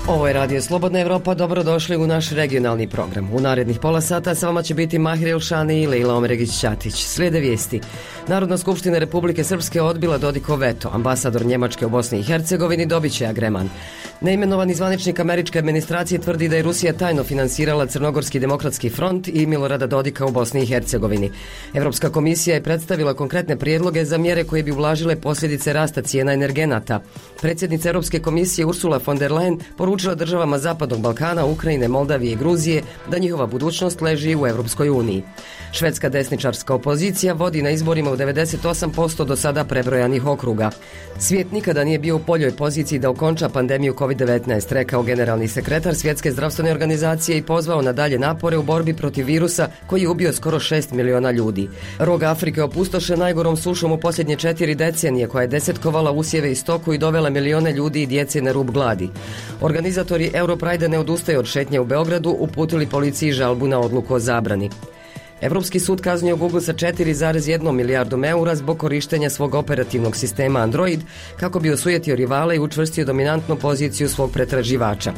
Ovo je Radio Slobodna Evropa, dobrodošli u naš regionalni program. U narednih pola sata sa vama će biti Mahir Ilšani i Lejla Omeregić-Ćatić. Slijede vijesti. Narodna skupština Republike Srpske odbila Dodikov veto. Ambasador Njemačke u Bosni i Hercegovini dobit će agreman. Neimenovani zvaničnik američke administracije tvrdi da je Rusija tajno finansirala Crnogorski demokratski front i Milorada Dodika u Bosni i Hercegovini. Evropska komisija je predstavila konkretne prijedloge za mjere koje bi ublažile posljedice rasta cijena energenata. Predsjednica Europske komisije Ursula von der Leyen poručila državama Zapadnog Balkana, Ukrajine, Moldavije i Gruzije da njihova budućnost leži u Europskoj uniji. Švedska desničarska opozicija vodi na izborima u 98% do sada prebrojanih okruga. Svijet nikada nije bio u boljoj poziciji da okonča pandemiju COVID-19, rekao generalni sekretar Svjetske zdravstvene organizacije i pozvao na dalje napore u borbi protiv virusa koji je ubio skoro 6 miliona ljudi. Rog Afrike opustošen najgorom sušom u posljednje 4 decenije koja je desetkovala usjeve i stoku i dovela milione ljudi i djece na rub gladi. Organizatori Europride ne odustaju od šetnje u Beogradu, uputili policiji žalbu na odluku o zabrani. Evropski sud kaznio Google sa 4,1 milijardom eura zbog korištenja svog operativnog sistema Android kako bi osujetio rivale i učvrstio dominantnu poziciju svog pretraživača.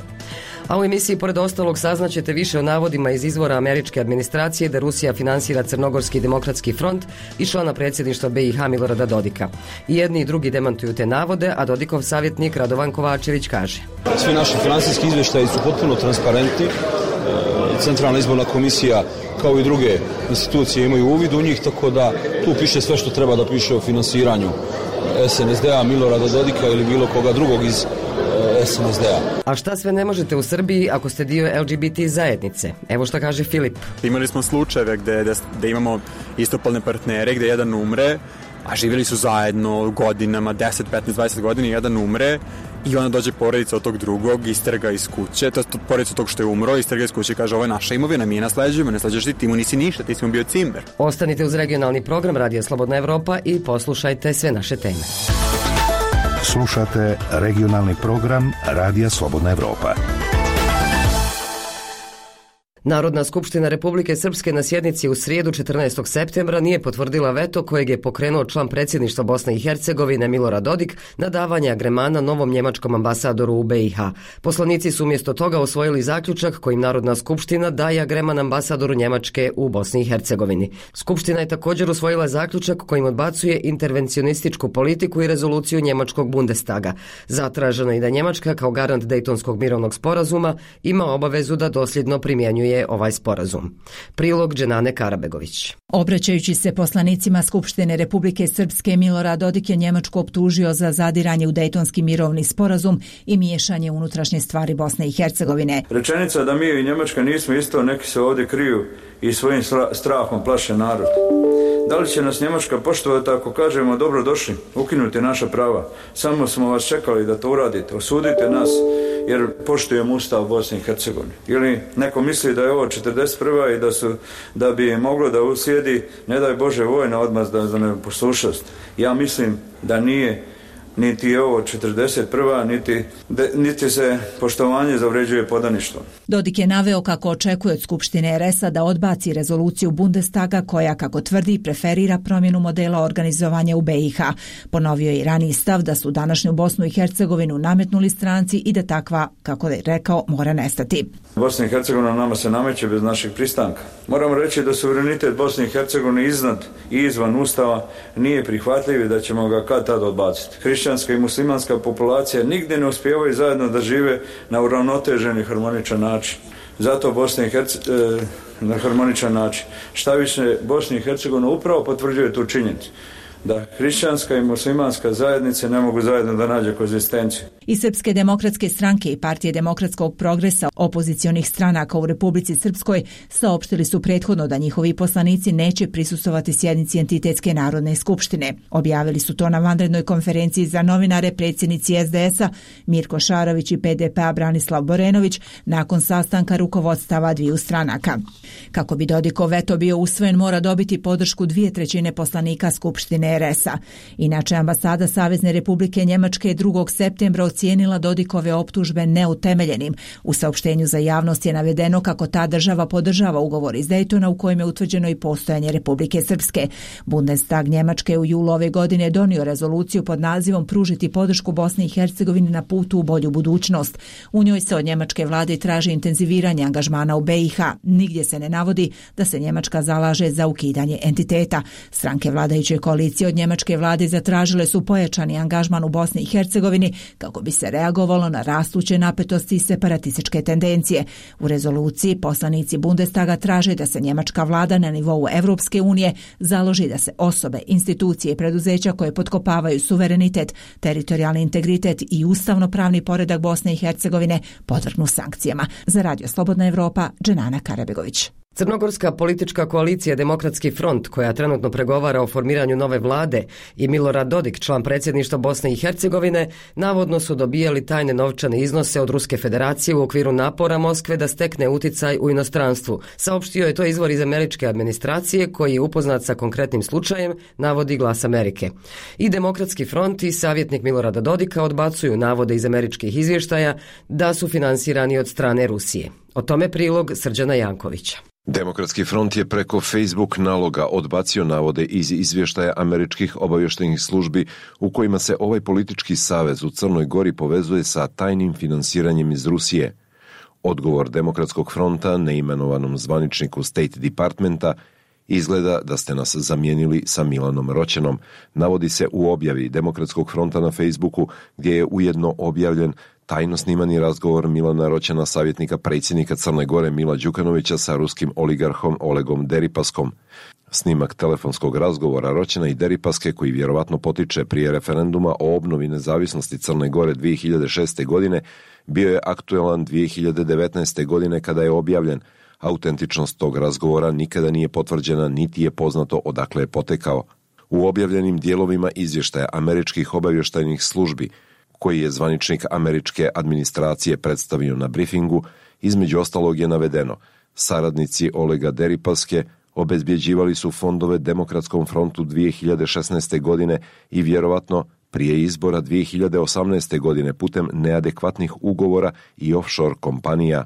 A u emisiji pored ostalog saznaćete više o navodima iz izvora američke administracije da Rusija finansira Crnogorski demokratski front i člana predsjedništva BiH Milorada Dodika. I jedni i drugi demantuju te navode, a Dodikov savjetnik Radovan Kovačević kaže: Svi naši finansijski izvještaji su potpuno transparentni. Centralna izborna komisija kao i druge institucije imaju uvid u njih, tako da tu piše sve što treba da piše o finansiranju SNSD-a, Milorada Dodika ili bilo koga drugog iz SNSD-a. A šta sve ne možete u Srbiji ako ste dio LGBT zajednice? Evo šta kaže Filip. Imali smo slučajeve gde imamo istopolne partnere, gde jedan umre, a živjeli su zajedno godinama, 10, 15, 20 godina, jedan umre i onda dođe porodica od tog drugog, isterga iz kuće, to je porodica od tog što je umro, isterga iz kuće i kaže: ovo je naša imovina, mi je nasleđujemo, ne sleđuješ ti mu nisi ništa, ti si mu bio cimer. Ostanite uz regionalni program Radio Slobodna Evropa i poslušajte sve naše teme. Slušate regionalni program Radija Slobodna Evropa. Narodna skupština Republike Srpske na sjednici u srijedu 14. septembra nije potvrdila veto kojeg je pokrenuo član predsjedništva Bosne i Hercegovine Milorad Dodik na davanje agremana novom njemačkom ambasadoru u BiH. Poslanici su umjesto toga usvojili zaključak kojim Narodna skupština daje agreman ambasadoru Njemačke u Bosni i Hercegovini. Skupština je također usvojila zaključak kojim odbacuje intervencionističku politiku i rezoluciju njemačkog Bundestaga. Zatraženo je da Njemačka kao garant Dejtonskog mirovnog sporazuma ima obavezu da dosljedno primjenjuje ovaj sporazum. Prilog Dženane Karabegović. Obraćajući se poslanicima Skupštine Republike Srpske, Milorad Dodik je Njemačku optužio za zadiranje u Dejtonski mirovni sporazum i miješanje u unutrašnje stvari Bosne i Hercegovine. Rečenica da mi i Njemačka nismo isto, neki se ovdje kriju i svojim strahom plaše narod. Da li će nas Njemačka poštovati ako kažemo dobro došli, ukinuti naša prava? Samo smo vas čekali da to uradite, osudite nas jer poštujemo Ustav Bosne i Hercegovine. Ili neko misli da je ovo 41. i da bi moglo da uslijedi, ne daj Bože, vojna odmazda za neposlušnost. Ja mislim da nije niti je ovo 41. niti se poštovanje zavređuje podaništvom. Dodik je naveo kako očekuje od Skupštine RS-a da odbaci rezoluciju Bundestaga koja, kako tvrdi, preferira promjenu modela organizovanja u BiH. Ponovio je i raniji stav da su današnju Bosnu i Hercegovinu nametnuli stranci i da takva, kako je rekao, mora nestati. Bosna i Hercegovina nama se nameće bez našeg pristanka. Moramo reći da suverenitet Bosne i Hercegovine iznad i izvan Ustava nije prihvatljiv i da ćemo ga kad tad odbaciti. Hrišćanska i muslimanska populacija nigdje ne uspijevaju zajedno da žive na uravnotežen i harmoničan način. Zato Bosna i Hercegovina na harmoničan način. Šta više, Bosna i Hercegovina upravo potvrđuje tu činjenicu da hrišćanska i muslimanska zajednice ne mogu zajedno da nađe koegzistenciju. I Srpske demokratske stranke i Partije demokratskog progresa, opozicionih stranaka u Republici Srpskoj, saopštili su prethodno da njihovi poslanici neće prisustvovati sjednici Entitetske narodne skupštine. Objavili su to na vanrednoj konferenciji za novinare predsjednici SDS-a Mirko Šarović i PDP-a Branislav Borenović nakon sastanka rukovodstava dviju stranaka. Kako bi Dodikov veto bio usvojen, mora dobiti podršku 2/3 poslanika Skupštine RS-a. Inače, ambasada Savezne Republike Njemačke 2. septembra ocijenila Dodikove optužbe neutemeljenim. U saopštenju za javnost je navedeno kako ta država podržava ugovor iz Daytona u kojem je utvrđeno i postojanje Republike Srpske. Bundestag Njemačke u julu ove godine donio rezoluciju pod nazivom Pružiti podršku Bosni i Hercegovini na putu u bolju budućnost. U njoj se od njemačke vlade traži intenziviranje angažmana u BiH. Nigdje se ne navodi da se Njemačka zalaže za ukidanje entiteta. Stranke vladajuće koalicije od njemačke vlade zatražile su pojačani angažman u Bosni i Hercegovini kako bi se reagovalo na rastuće napetosti i separatističke tendencije. U rezoluciji poslanici Bundestaga traže da se njemačka vlada na nivou Evropske unije založi da se osobe, institucije i preduzeća koje potkopavaju suverenitet, teritorijalni integritet i ustavno-pravni poredak Bosne i Hercegovine podvrgnu sankcijama. Za Radio Slobodna Evropa, Dženana Karabegović. Crnogorska politička koalicija Demokratski front, koja trenutno pregovara o formiranju nove vlade, i Milorad Dodik, član predsjedništva Bosne i Hercegovine, navodno su dobijali tajne novčane iznose od Ruske federacije u okviru napora Moskve da stekne uticaj u inostranstvu. Saopštio je to izvor iz američke administracije koji je upoznat sa konkretnim slučajem, navodi Glas Amerike. I Demokratski front i savjetnik Milorada Dodika odbacuju navode iz američkih izvještaja da su finansirani od strane Rusije. O tome prilog Srđana Jankovića. Demokratski front je preko Facebook naloga odbacio navode iz izvještaja američkih obavještajnih službi u kojima se ovaj politički savez u Crnoj Gori povezuje sa tajnim finansiranjem iz Rusije. Odgovor Demokratskog fronta neimenovanom zvaničniku State Departmenta: izgleda da ste nas zamijenili sa Milanom Roćenom, navodi se u objavi Demokratskog fronta na Facebooku, gdje je ujedno objavljen tajno snimani razgovor Milana Roćena, savjetnika predsjednika Crne Gore Mila Đukanovića, sa ruskim oligarhom Olegom Deripaskom. Snimak telefonskog razgovora Roćena i Deripaske, koji vjerovatno potiče prije referenduma o obnovi nezavisnosti Crne Gore 2006. godine, bio je aktualan 2019. godine kada je objavljen. Autentičnost tog razgovora nikada nije potvrđena, niti je poznato odakle je potekao. U objavljenim dijelovima izvještaja američkih obavještajnih službi, koji je zvaničnik američke administracije predstavio na brifingu, između ostalog je navedeno: saradnici Olega Deripaske obezbjeđivali su fondove Demokratskom frontu 2016. godine i vjerovatno prije izbora 2018. godine putem neadekvatnih ugovora i offshore kompanija.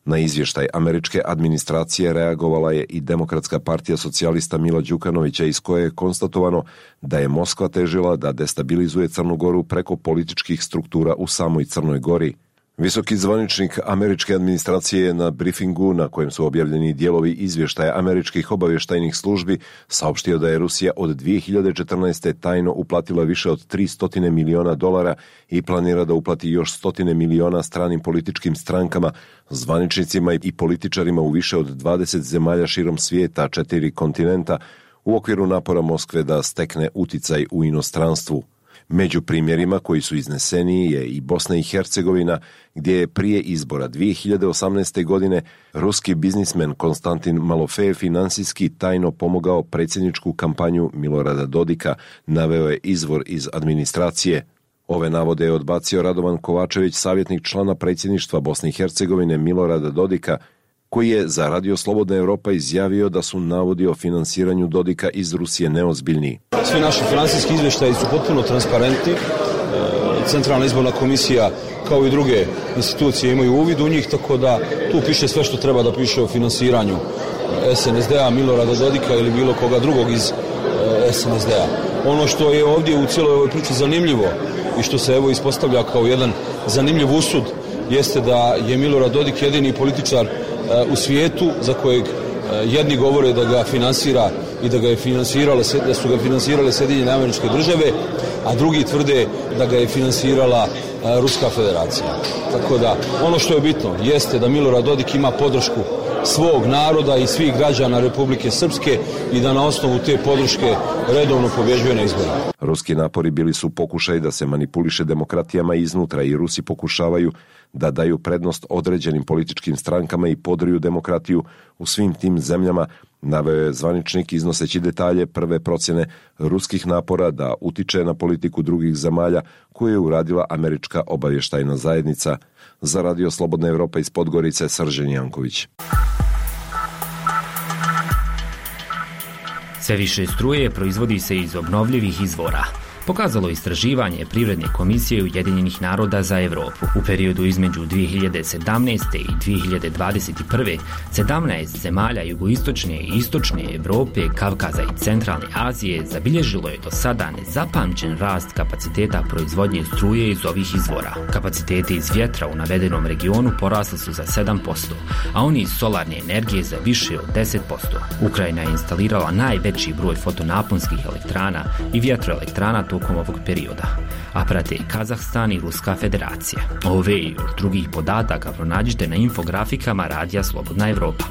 Na izvještaj američke administracije reagovala je i Demokratska partija socijalista Mila Đukanovića, iz koje je konstatovano da je Moskva težila da destabilizuje Crnu Goru preko političkih struktura u samoj Crnoj Gori. Visoki zvaničnik američke administracije je na brifingu, na kojem su objavljeni dijelovi izvještaja američkih obavještajnih službi, saopštio da je Rusija od 2014. tajno uplatila više od $300 miliona i planira da uplati još 100 miliona stranim političkim strankama, zvaničnicima i političarima u više od 20 zemalja širom svijeta, 4 kontinenta, u okviru napora Moskve da stekne uticaj u inostranstvu. Među primjerima koji su izneseni je i Bosna i Hercegovina, gdje je prije izbora 2018. godine ruski biznismen Konstantin Malofejev finansijski tajno pomogao predsjedničku kampanju Milorada Dodika, naveo je izvor iz administracije. Ove navode je odbacio Radovan Kovačević, savjetnik člana predsjedništva Bosne i Hercegovine Milorada Dodika, koji je za Radio Slobodna Evropa izjavio da su navodi o finansiranju Dodika iz Rusije neozbiljni. Svi naši finansijski izvještaji su potpuno transparentni. Centralna izborna komisija kao i druge institucije imaju uvid u njih, tako da tu piše sve što treba da piše o finansiranju SNSD-a, Milorada Dodika ili bilo koga drugog iz SNSD-a. Ono što je ovdje u cijeloj ovoj priči zanimljivo i što se evo ispostavlja kao jedan zanimljiv usud jeste da je Milorad Dodik jedini političar u svijetu za kojeg jedni govore da ga finansira i da su ga finansirale Sjedinjene Američke Države, a drugi tvrde da ga je finansirala Ruska federacija. Tako da ono što je bitno jeste da Milorad Dodik ima podršku svog naroda i svih građana Republike Srpske i da na osnovu te podrške redovno pobjeđuje na izborima. Ruski napori bili su pokušaj da se manipuliše demokratijama iznutra i Rusi pokušavaju da daju prednost određenim političkim strankama i podriju demokratiju u svim tim zemljama, naveo je zvaničnik iznoseći detalje prve procjene ruskih napora da utiče na politiku drugih zemalja koju je uradila američka obavještajna zajednica. Za Radio Slobodna Evropa iz Podgorice, Srđan Janković. Sve više struje proizvodi se iz obnovljivih izvora. pokazalo istraživanje Privredne komisije Ujedinjenih naroda za Europu. U periodu između 2017. i 2021. 17 zemalja jugoistočne i istočne Europe, Kavkaza i centralne Azije zabilježilo je do sada nezapamćen rast kapaciteta proizvodnje struje iz ovih izvora. Kapaciteti iz vjetra u navedenom regionu porasli su za 7%, a oni iz solarne energije za više od 10%. Ukrajina je instalirala najveći broj fotonaponskih elektrana i vjetroelektrana tokom ovog perioda, a prate Kazahstan i Ruska federacija. Ove i još drugih podataka pronađite na infografikama Radija Slobodna Evropa.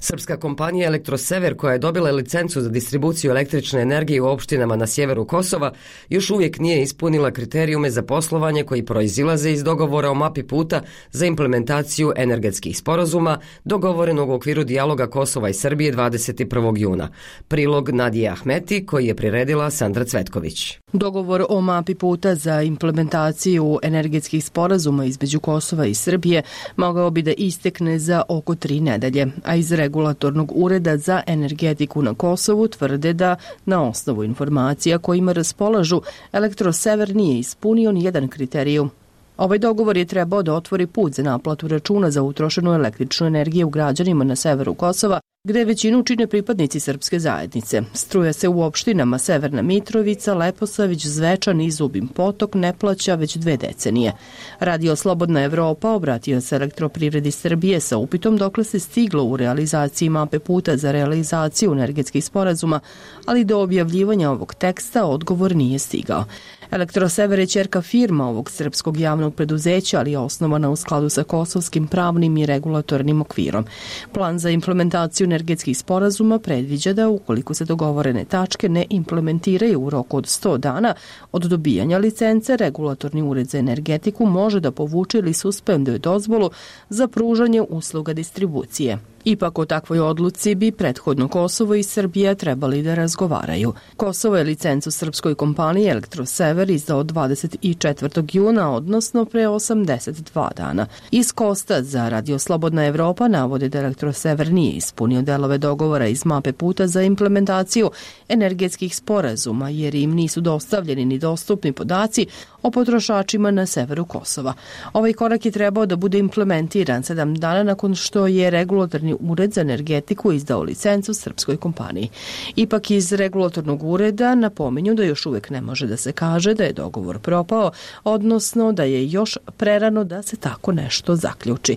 Srpska kompanija Elektrosever, koja je dobila licencu za distribuciju električne energije u opštinama na sjeveru Kosova, još uvijek nije ispunila kriterijume za poslovanje koji proizilaze iz dogovora o mapi puta za implementaciju energetskih sporazuma dogovorenog u okviru dijaloga Kosova i Srbije 21. juna. Prilog Nadije Ahmeti, koji je priredila Sandra Cvetković. Dogovor o mapi puta za implementaciju energetskih sporazuma između Kosova i Srbije mogao bi da istekne za oko 3 nedelje, a iz Regulatornog ureda za energetiku na Kosovu tvrde da, na osnovu informacija kojima raspolažu, Elektrosever nije ispunio ni jedan kriterijum. Ovaj dogovor je trebao da otvori put za naplatu računa za utrošenu električnu energiju građanima na severu Kosova, gde većinu čine pripadnici srpske zajednice. Struja se u opštinama Severna Mitrovica, Leposavić, Zvečan i Zubin Potok ne plaća već 2 decenije. Radio Slobodna Evropa obratio se Elektroprivredi Srbije sa upitom dokle se stiglo u realizaciji mape puta za realizaciju energetskih sporazuma, ali do objavljivanja ovog teksta odgovor nije stigao. Elektrosever je ćerka firma ovog srpskog javnog preduzeća, ali je osnovana u skladu sa kosovskim pravnim i regulatornim okvirom. Plan za implementaciju energetskih sporazuma predviđa da ukoliko se dogovorene tačke ne implementiraju u roku od 100 dana od dobijanja licence, Regulatorni ured za energetiku može da povuče ili suspenduje dozvolu za pružanje usluga distribucije. Ipak o takvoj odluci bi prethodno Kosovo i Srbija trebali da razgovaraju. Kosovo je licencu srpskoj kompaniji Elektrosever izdao 24. juna, odnosno pre 82 dana. Iz Kosta za Radio Slobodna Evropa navode da Elektrosever nije ispunio delove dogovora iz mape puta za implementaciju energetskih sporazuma, jer im nisu dostavljeni ni dostupni podaci o potrošačima na severu Kosova. Ovaj korak je trebao da bude implementiran 7 dana nakon što je Regulatorni ured za energetiku izdao licencu srpskoj kompaniji. Ipak iz Regulatornog ureda napominju da još uvijek ne može da se kaže da je dogovor propao, odnosno da je još prerano da se tako nešto zaključi.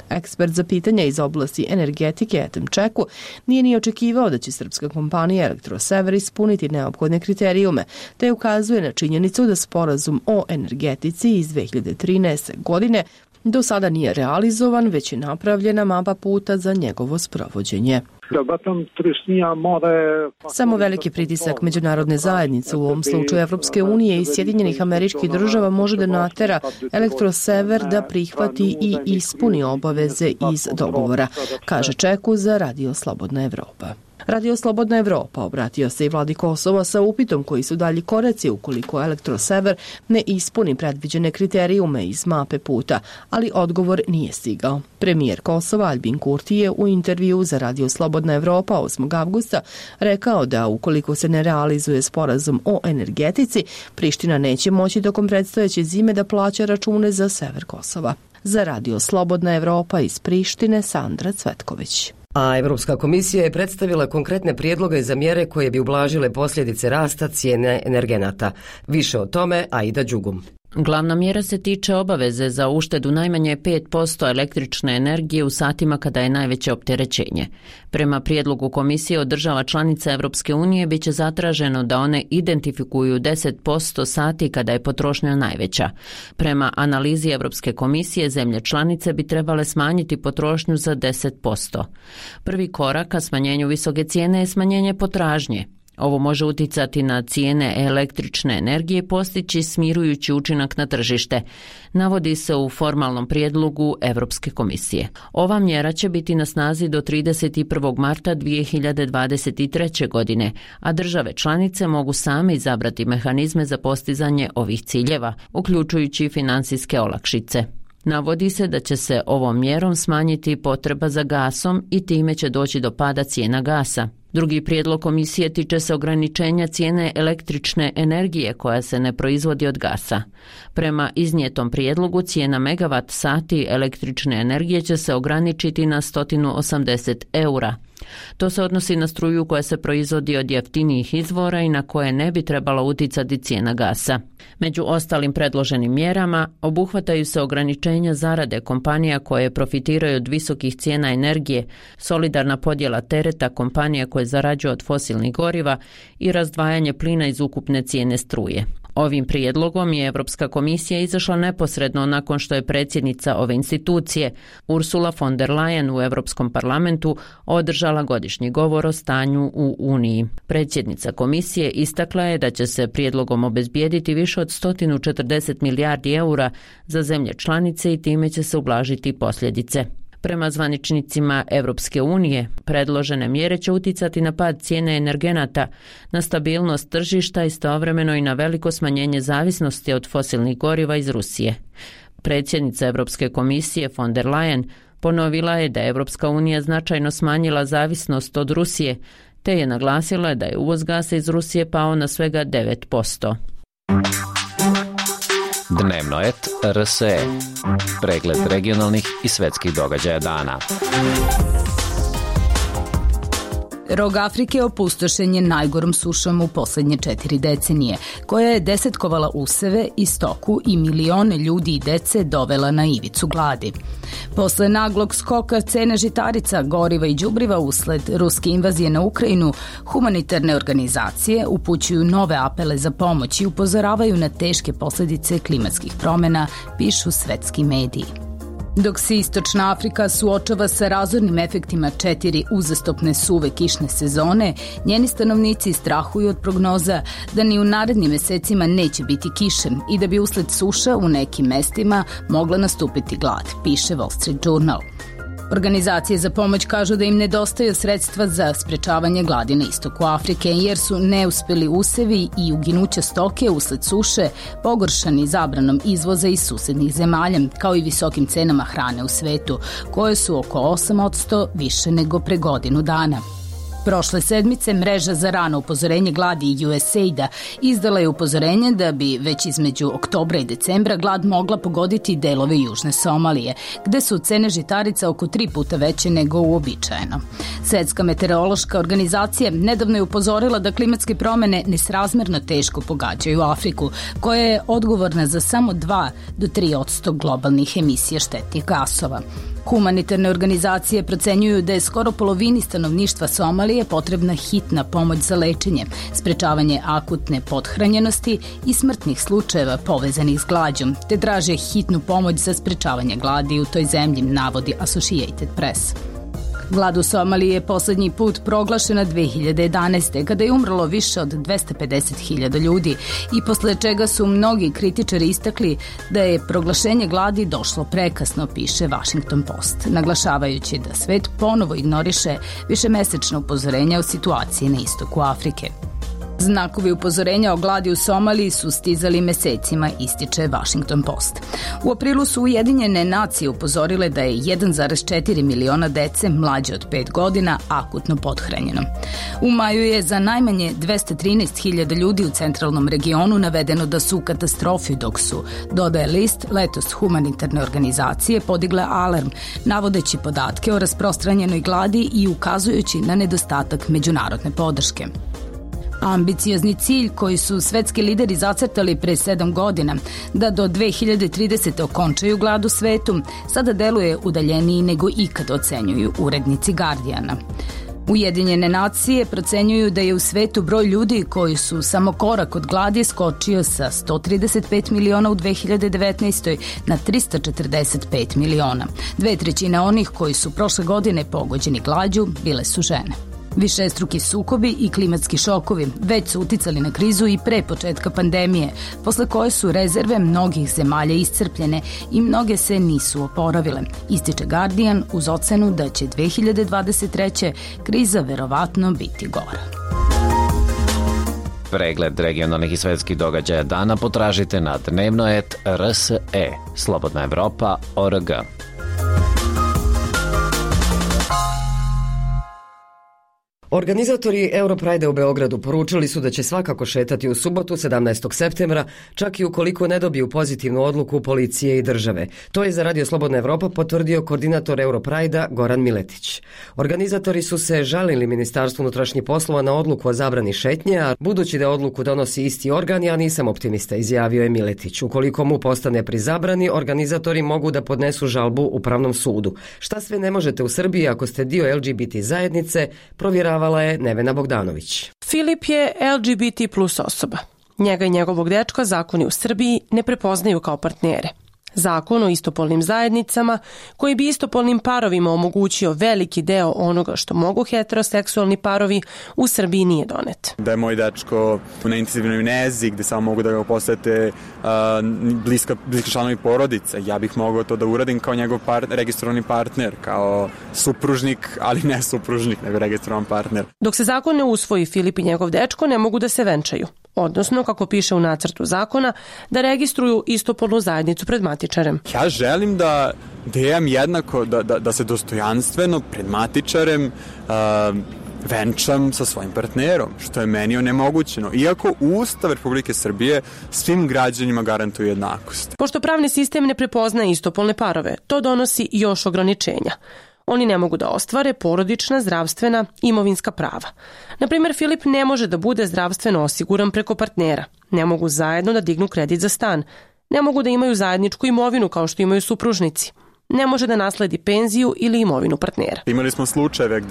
Ekspert za pitanja iz oblasti energetike Etem Čeku nije ni očekivao da će srpska kompanija Elektrosever ispuniti neophodne kriterijume, te ukazuje na činjenicu da sporazum o energetici iz 2013. godine do sada nije realizovan, već je napravljena mapa puta za njegovo sprovođenje. Samo veliki pritisak međunarodne zajednice, u ovom slučaju Evropske unije i Sjedinjenih Američkih Država, može da natera Elektrosever da prihvati i ispuni obaveze iz dogovora, kaže Čeku za Radio Slobodna Evropa. Radio Slobodna Evropa obratio se i vladi Kosova sa upitom koji su dalji koraci ukoliko Elektrosever ne ispuni predviđene kriterijume iz mape puta, ali odgovor nije stigao. Premijer Kosova Albin Kurti je u intervju za Radio Slobodna Evropa 8. avgusta rekao da ukoliko se ne realizuje sporazum o energetici, Priština neće moći tokom predstojeće zime da plaća račune za sever Kosova. Za Radio Slobodna Evropa iz Prištine, Sandra Cvetković. A Evropska komisija je predstavila konkretne prijedloge za mjere koje bi ublažile posljedice rasta cijene energenata. Više o tome Aida Đugum. Glavna mjera se tiče obaveze za uštedu najmanje 5% električne energije u satima kada je najveće opterećenje. Prema prijedlogu komisije od država članica Evropske unije biće zatraženo da one identifikuju 10% sati kada je potrošnja najveća. Prema analizi Evropske komisije, zemlje članice bi trebale smanjiti potrošnju za 10%. Prvi korak ka smanjenju visoke cijene je smanjenje potražnje. Ovo može uticati na cijene električne energije i postići smirujući učinak na tržište, navodi se u formalnom prijedlogu Evropske komisije. Ova mjera će biti na snazi do 31. marta 2023. godine, a države članice mogu same izabrati mehanizme za postizanje ovih ciljeva, uključujući financijske olakšice. Navodi se da će se ovom mjerom smanjiti potreba za gasom i time će doći do pada cijena gasa. Drugi prijedlog komisije tiče se ograničenja cijene električne energije koja se ne proizvodi od gasa. Prema iznijetom prijedlogu cijena megavat sati električne energije će se ograničiti na 180 eura. To se odnosi na struju koja se proizvodi od jeftinijih izvora i na koje ne bi trebala uticati cijena gasa. Među ostalim predloženim mjerama obuhvataju se ograničenja zarade kompanija koje profitiraju od visokih cijena energije, solidarna podjela tereta kompanija koje zarađuju od fosilnih goriva i razdvajanje plina iz ukupne cijene struje. Ovim prijedlogom je Europska komisija izašla neposredno nakon što je predsjednica ove institucije, Ursula von der Leyen, u Europskom parlamentu održala godišnji govor o stanju u Uniji. Predsjednica komisije istakla je da će se prijedlogom obezbijediti više od 140 milijardi eura za zemlje članice i time će se ublažiti posljedice. Prema zvaničnicima Europske unije, predložene mjere će uticati na pad cijene energenata, na stabilnost tržišta i istovremeno i na veliko smanjenje zavisnosti od fosilnih goriva iz Rusije. Predsjednica Europske komisije von der Leyen ponovila je da je Europska unija značajno smanjila zavisnost od Rusije, te je naglasila da je uvoz gasa iz Rusije pao na svega 9%. Dnevno et RSE. Pregled regionalnih i svetskih događaja dana. Rog Afrike opustošen je najgorom sušom u posljednje 4 decenije, koja je desetkovala useve i stoku i milione ljudi i dece dovela na ivicu gladi. Posle naglog skoka cene žitarica, goriva i đubriva usled ruske invazije na Ukrajinu, humanitarne organizacije upućuju nove apele za pomoć i upozoravaju na teške posljedice klimatskih promjena, pišu svetski mediji. Dok se Istočna Afrika suočava sa razornim efektima 4 uzastopne suve kišne sezone, njeni stanovnici strahuju od prognoza da ni u narednim mesecima neće biti kiše i da bi usled suša u nekim mestima mogla nastupiti glad, piše Wall Street Journal. Organizacije za pomoć kažu da im nedostaju sredstva za sprečavanje gladi na istoku Afrike, jer su neuspeli usevi i uginuća stoke usled suše pogoršani zabranom izvoza iz susednih zemalja, kao i visokim cenama hrane u svetu, koje su oko 8% više nego pre godinu dana. Prošle sedmice mreža za rano upozorenje gladi USAID-a izdala je upozorenje da bi već između oktobra i decembra glad mogla pogoditi delove južne Somalije, gde su cene žitarica oko 3 puta veće nego uobičajeno. Svetska meteorološka organizacija nedavno je upozorila da klimatske promjene nesrazmerno teško pogađaju Afriku, koja je odgovorna za samo 2 do 3% globalnih emisija štetnih gasova. Humanitarne organizacije procenjuju da je skoro polovini stanovništva Somalije potrebna hitna pomoć za lečenje, sprečavanje akutne pothranjenosti i smrtnih slučajeva povezanih s glađom, te traže hitnu pomoć za sprečavanje gladi u toj zemlji, navodi Associated Press. Glad u Somaliji je posljednji put proglašena 2011. kada je umrlo više od 250.000 ljudi i posle čega su mnogi kritičari istakli da je proglašenje gladi došlo prekasno, piše Washington Post, naglašavajući da svet ponovo ignoriše višemesečno upozorenja o situaciji na istoku Afrike. Znakovi upozorenja o gladi u Somaliji su stizali mesecima, ističe Washington Post. U aprilu su Ujedinjene nacije upozorile da je 1,4 miliona dece mlađe od 5 godina akutno pothranjeno. U maju je za najmanje 213.000 ljudi u centralnom regionu navedeno da su u katastrofi, dok su, dodaje list, letos humanitarne organizacije podigle alarm, navodeći podatke o rasprostranjenoj gladi i ukazujući na nedostatak međunarodne podrške. Ambiciozni cilj koji su svetski lideri zacrtali pre 7 godina, da do 2030. okončaju glad u svetu, sada deluje udaljeniji nego ikad, ocenjuju urednici Guardiana. Ujedinjene nacije procenjuju da je u svetu broj ljudi koji su samo korak od gladi skočio sa 135 miliona u 2019. na 345 miliona. 2/3 onih koji su prošle godine pogođeni glađu bile su žene. Višestruki sukobi i klimatski šokovi već su uticali na krizu i pre početka pandemije, posle koje su rezerve mnogih zemalja iscrpljene i mnoge se nisu oporavile, ističe Guardian uz ocenu da će 2023. kriza verovatno biti gora. Pregled regionalnih i svetskih događaja dana potražite na dnevno.rs.e slobodnaevropa.org. Organizatori Europride u Beogradu poručili su da će svakako šetati u subotu 17. septembra, čak i ukoliko ne dobiju pozitivnu odluku policije i države. To je za Radio Slobodna Evropa potvrdio koordinator Europride-a Goran Miletić. Organizatori su se žalili Ministarstvu unutrašnjih poslova na odluku o zabrani šetnje, a budući da odluku donosi isti organ, ja nisam optimista, izjavio je Miletić. Ukoliko mu postane pri zabrani, organizatori mogu da podnesu žalbu Upravnom sudu. Šta sve ne možete u Srbiji ako ste dio LGBT zajednice, provjeravala je Nevena Bogdanović. Filip je LGBT plus osoba. Njega i njegovog dečka zakoni u Srbiji ne prepoznaju kao partnere. Zakon o istopolnim zajednicama, koji bi istopolnim parovima omogućio veliki deo onoga što mogu heteroseksualni parovi, u Srbiji nije donet. Da je moj dečko na intenzivnoj nezi gde samo mogu da ga posete bliski članovi porodice, ja bih mogao to da uradim kao njegov registrovani partner, kao supružnik, ali ne supružnik, nego registrovan partner. Dok se zakon ne usvoji, Filip i njegov dečko ne mogu da se venčaju. Odnosno, kako piše u nacrtu zakona, da registruju istopolnu zajednicu pred matičarem. Ja želim da imam jednako, da se dostojanstveno pred matičarem venčam sa svojim partnerom, što je meni onemogućeno. Iako Ustav Republike Srbije svim građanima garantuje jednakost. Pošto pravni sistem ne prepoznaje istopolne parove, to donosi još ograničenja. Oni ne mogu da ostvare porodična, zdravstvena, imovinska prava. Naprimjer, Filip ne može da bude zdravstveno osiguran preko partnera. Ne mogu zajedno da dignu kredit za stan. Ne mogu da imaju zajedničku imovinu kao što imaju supružnici. Ne može da nasledi penziju ili imovinu partnera. Imali smo slučajeve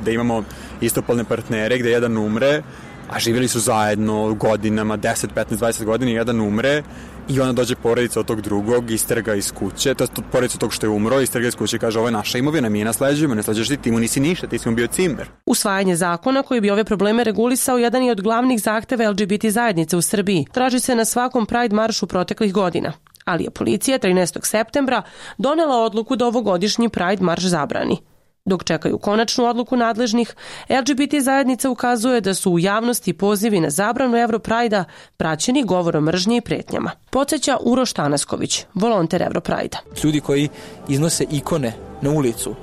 gde imamo istopolne partnere, gde jedan umre, a živjeli su zajedno godinama, 10, 15, 20 godina, jedan umre i onda dođe porodica od tog drugog, isterga iz kuće, to je porodica od tog što je umro, isterga iz kuće i kaže ovo je naša imovina, mi je nasleđujemo, ne sleđuješ ti mu nisi ništa, ti si mu bio cimer. Usvajanje zakona koji bi ove probleme regulisao jedan je od glavnih zahteva LGBT zajednice u Srbiji. Traži se na svakom Pride maršu proteklih godina. Ali je policija 13. septembra donela odluku da ovogodišnji Pride marš zabrani. Dok čekaju konačnu odluku nadležnih, LGBT zajednica ukazuje da su u javnosti pozivi na zabranu Europride-a praćeni govorom mržnje i pretnjama. Podsjeća Uroš Tanasković, volonter Europride-a. Ljudi koji iznose ikone na ulicu,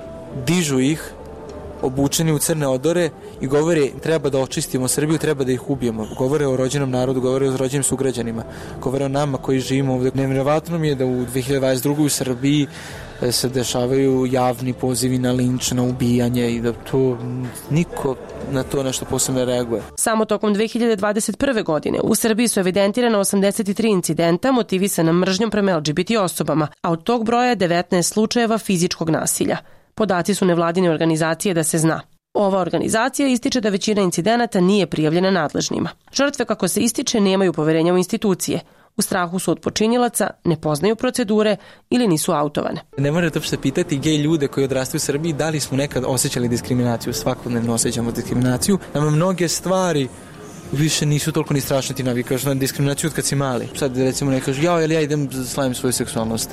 dižu ih, obučeni u crne odore i govore treba da očistimo Srbiju, treba da ih ubijemo. Govore o rođenom narodu, govore o rođenim sugrađanima, govore o nama koji živimo ovdje. Nevjerovatno mi je da u 2022. u Srbiji se dešavaju javni pozivi na linč, na ubijanje i da to niko na to nešto posebno reaguje. Samo tokom 2021. godine u Srbiji su evidentirane 83 incidenta motivisana mržnjom prema LGBT osobama, a od tog broja je 19 slučajeva fizičkog nasilja. Podaci su nevladine organizacije da se zna. Ova organizacija ističe da većina incidenata nije prijavljena nadležnima. Žrtve, kako se ističe, nemaju poverenja u institucije. U strahu su od počinjilaca, ne poznaju procedure ili nisu autovane. Ne morate uopšte pitati gej ljude koji odrastaju u Srbiji da li smo nekad osjećali diskriminaciju. Svakodnevno osjećamo diskriminaciju. Nama mnoge stvari više nisu toliko ni strašne, ti navikaš na diskriminaciju od kad si mali. Sad recimo ne kažeš ja idem slavim svoju seksualnost.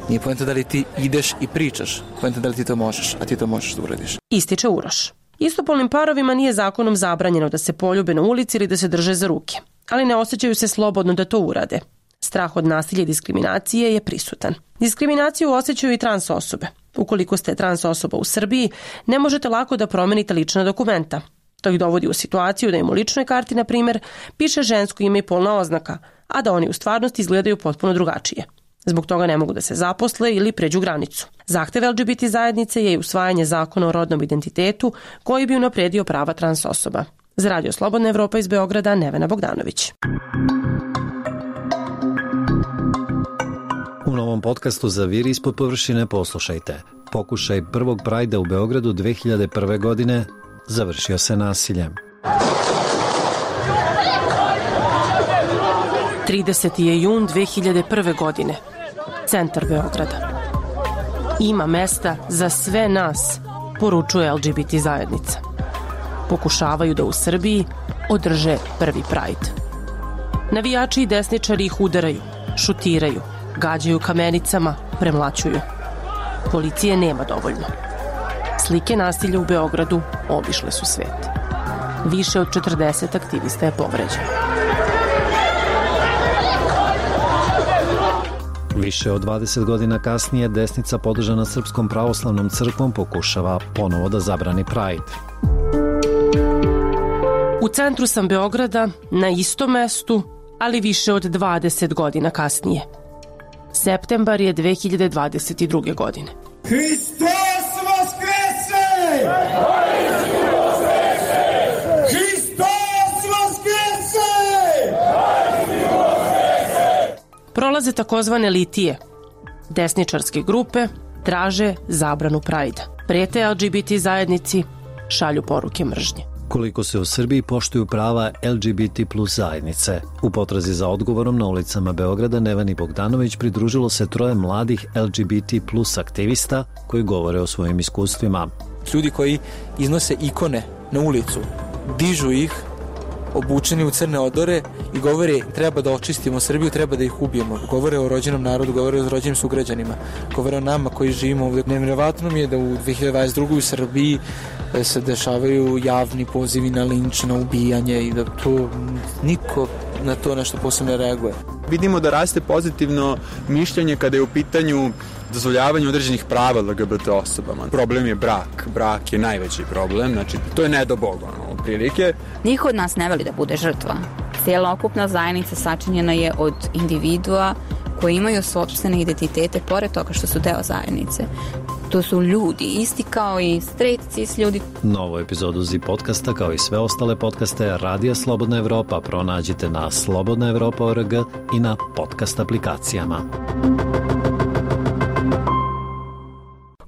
Nije poenta da li ti ideš i pričaš, poenta da li ti to možeš, a ti to možeš da uradiš. Ističe Uroš. Istopolnim parovima nije zakonom zabranjeno da se poljube na ulici ili da se drže za ruke, ali ne osjećaju se slobodno da to urade. Strah od nasilja i diskriminacije je prisutan. Diskriminaciju osjećaju i trans osobe. Ukoliko ste trans osoba u Srbiji, ne možete lako da promenite lična dokumenta. To ih dovodi u situaciju da im u ličnoj karti, na primjer, piše žensko ime i polna oznaka, a da oni u stvarnosti izgledaju potpuno drugačije. Zbog toga ne mogu da se zaposle ili pređu granicu. Zahtev LGBT zajednice je i usvajanje zakona o rodnom identitetu koji bi unapredio prava trans osoba. Za Radio Slobodna Evropa iz Beograda, Nevena Bogdanović. U novom podcastu Zaviri ispod površine poslušajte. Pokušaj prvog Prajda u Beogradu 2001. godine završio se nasiljem. 30. je jun 2001. godine. Centar Beograda. Ima mesta za sve nas, poručuje LGBT zajednica. Pokušavaju da u Srbiji održe prvi Pride. Navijači i desničari ih udaraju, šutiraju, gađaju kamenicama, premlaćuju. Policije nema dovoljno. Slike nasilja u Beogradu obišle su svet. Više od 40 aktivista je povređeno. Više od 20 godina kasnije desnica podržana Srpskom pravoslavnom crkvom pokušava ponovo da zabrani Pride. U centru sam Beograda, na istom mestu, ali više od 20 godina kasnije. Septembar je 2022. godine. Hristos vaskrese! Hristos vaskrese! Prolaze takozvane litije. Desničarske grupe traže zabranu Prajda. Prete LGBT zajednici, šalju poruke mržnje. Koliko se u Srbiji poštuju prava LGBT plus zajednice. U potrazi za odgovorom na ulicama Beograda Neveni Bogdanović pridružilo se 3 mladih LGBT plus aktivista koji govore o svojim iskustvima. Ljudi koji iznose ikone na ulicu, dižu ih, obučeni u crne odore i govore treba da očistimo Srbiju, treba da ih ubijemo. Govore o rođenom narodu, govore o rođenim sugrađanima, govore o nama koji živimo ovdje. Nevjerovatno mi je da u 2022. u Srbiji se dešavaju javni pozivi na linč, na ubijanje i da to niko na to nešto posebno reaguje. Vidimo da raste pozitivno mišljenje kada je u pitanju dozvoljavanje određenih prava LGBT osobama. Problem je brak. Brak je najveći problem, znači to je ne do Boga, prilike. Niko od nas ne voli da bude žrtva. Cijelokupna zajednica sačinjena je od individua koji imaju sopstvene identitete pored toga što su deo zajednice. To su ljudi, isti kao i straight cis ljudi. Novu epizodu ZI podcasta kao i sve ostale podcaste Radija Slobodna Evropa pronađite na slobodnaevropa.org i na podcast aplikacijama.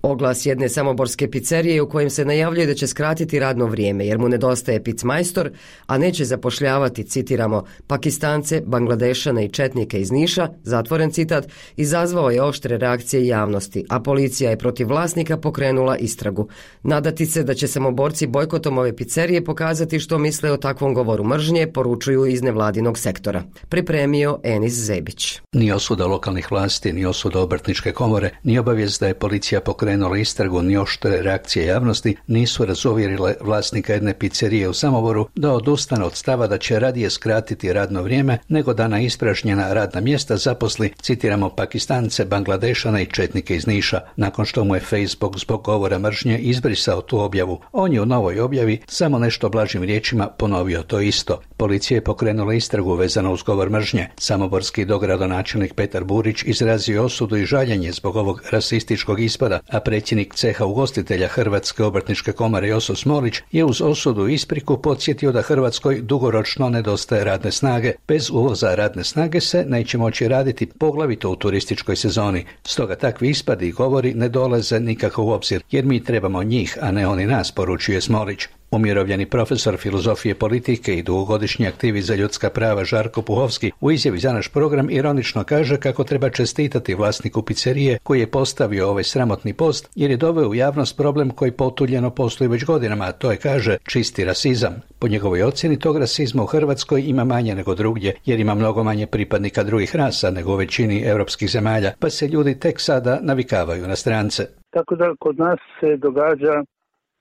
Oglas jedne samoborske pizzerije u kojem se najavljuje da će skratiti radno vrijeme jer mu nedostaje picmajstor, a neće zapošljavati, citiramo, Pakistance, Bangladešane i četnike iz Niša, zatvoren citat, izazvao je oštre reakcije javnosti, a policija je protiv vlasnika pokrenula istragu. Nadati se da će samoborci bojkotom ove pizzerije pokazati što misle o takvom govoru mržnje, poručuju iz nevladinog sektora. Pripremio Enis Zebić. Ni osuda lokalnih vlasti, ni osuda obrtničke komore, ni obavijest da je policija pokrenula istragu, ni oštre reakcije javnosti nisu razuvjerile vlasnika jedne pizzerije u Samoboru da odustane od stava da će radije skratiti radno vrijeme nego da na ispražnjena radna mjesta zaposli, citiramo, Pakistance, Bangladešane i četnike iz Niša, nakon što mu je Facebook zbog govora mržnje izbrisao tu objavu. On je u novoj objavi samo nešto blažim riječima ponovio to isto. Policija je pokrenula istragu vezano uz govor mržnje. Samoborski dogradonačelnik Petar Burić izrazio osudu i žaljenje zbog ovog rasističkog ispada, a predsjednik ceha ugostitelja Hrvatske obrtničke komore Joso Smolić je uz osudu i ispriku podsjetio da Hrvatskoj dugoročno nedostaje radne snage. Bez uvoza radne snage se neće moći raditi, poglavito u turističkoj sezoni. Stoga takvi ispadi i govori ne dolaze nikako u obzir, jer mi trebamo njih, a ne oni nas, poručuje Smolić. Umirovljeni profesor filozofije politike i dugogodišnji aktivist za ljudska prava Žarko Puhovski u izjavi za naš program ironično kaže kako treba čestitati vlasniku pizzerije koji je postavio ovaj sramotni post jer je doveo u javnost problem koji potuljeno postoji već godinama, a to je, kaže, čisti rasizam. Po njegovoj ocjeni tog rasizma u Hrvatskoj ima manje nego drugdje jer ima mnogo manje pripadnika drugih rasa nego u većini europskih zemalja, pa se ljudi tek sada navikavaju na strance. Tako da kod nas se događa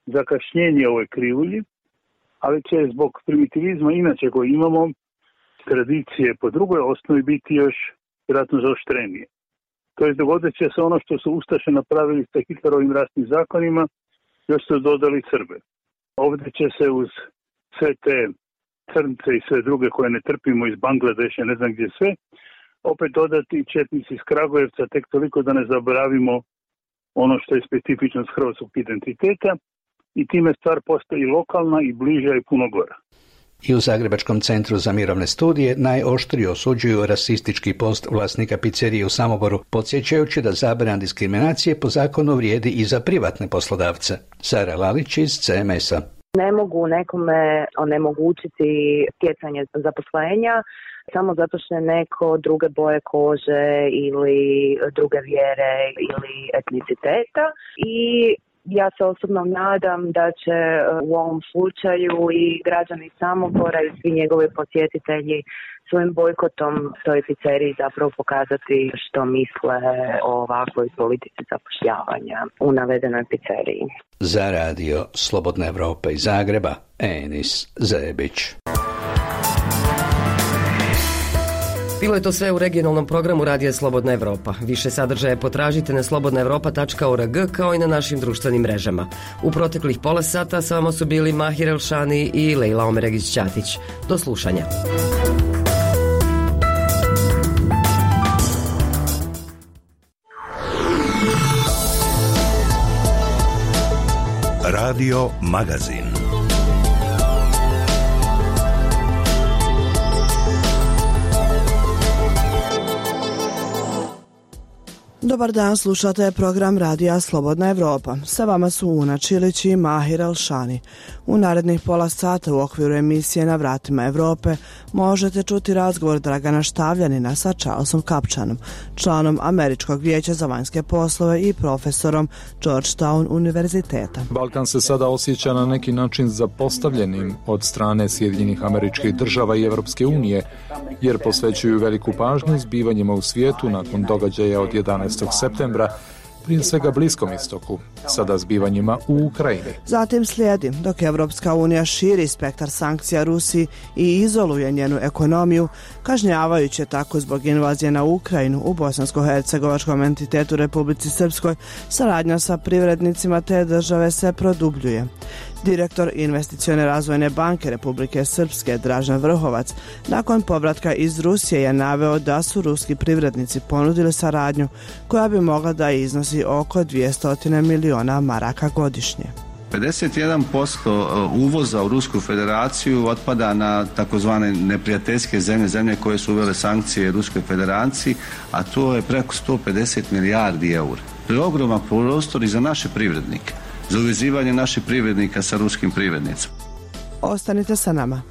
zakašnjenje ovoj krivulji, ali će zbog primitivizma inače koji imamo, tradicije po drugoj osnovi biti još vjerojatno zaoštrenije. To je dogodit će se ono što su Ustaše napravili sa Hitlerovim rasnim zakonima, još su dodali Srbe. Ovdje će se uz sve te crnce i sve druge koje ne trpimo iz Bangladeša, ne znam gdje sve, opet dodati četnici iz Kragujevca, tek toliko da ne zaboravimo ono što je specifičnost hrvatskog identiteta, i time stvar postaje i lokalna i bliža i puno gora. I u Zagrebačkom centru za mirovne studije najoštrije osuđuju rasistički post vlasnika pizzerije u Samoboru, podsjećajući da zabrana diskriminacije po zakonu vrijedi i za privatne poslodavce. Sara Lalić iz CMS-a. Ne mogu nekome onemogućiti stjecanje zaposlenja samo zato što je neko druge boje kože ili druge vjere ili etniciteta i Ja se osobno nadam da će u ovom slučaju i građani Samobora i svi njegovi posjetitelji svojim bojkotom toj pizzeriji zapravo pokazati što misle o ovakvoj politici zapošljavanja u navedenoj pizzeriji. Za radio Slobodna Evropa iz Zagreba, Enis Zebić. Bilo je to sve u regionalnom programu Radija Slobodna Evropa. Više sadržaje potražite na slobodnaevropa.org kao i na našim društvenim mrežama. U proteklih pola sata sa vama su bili Mahir Elšani i Lejla Omeregić-Ćatić. Do slušanja. Radio Magazin. Dobar dan, slušate program Radija Slobodna Evropa. Sa vama su Una Čilić i Mahir Elšani. U narednih pola sata u okviru emisije Na vratima Evrope možete čuti razgovor Dragana Štavljanina sa Charlesom Kapčanom, članom Američkog vijeća za vanjske poslove i profesorom Georgetown univerziteta. Balkan se sada osjeća na neki način zapostavljenim od strane Sjedinjenih Američkih Država i Evropske unije, jer posvećuju veliku pažnju zbivanjima u svijetu nakon događaja od 11. septembra, prije svega Bliskom istoku, sada zbivanjima u Ukrajini. Zatim slijedi, dok Evropska unija širi spektar sankcija Rusiji i izoluje njenu ekonomiju, kažnjavajući tako zbog invazije na Ukrajinu u bosansko-hercegovačkom entitetu Republici Srpskoj, saradnja sa privrednicima te države se produbljuje. Direktor Investicione razvojne banke Republike Srpske Dražen Vrhovac nakon povratka iz Rusije je naveo da su ruski privrednici ponudili saradnju koja bi mogla da iznosi oko 200 miliona maraka godišnje. 51% uvoza u Rusku federaciju otpada na takozvane neprijateljske zemlje koje su uvele sankcije Ruskoj federaciji, a to je preko 150 milijardi eura. To je ogroman prostor i za naše privrednike, za uvezivanje naših privrednika sa ruskim privrednicima. Ostanite sa nama.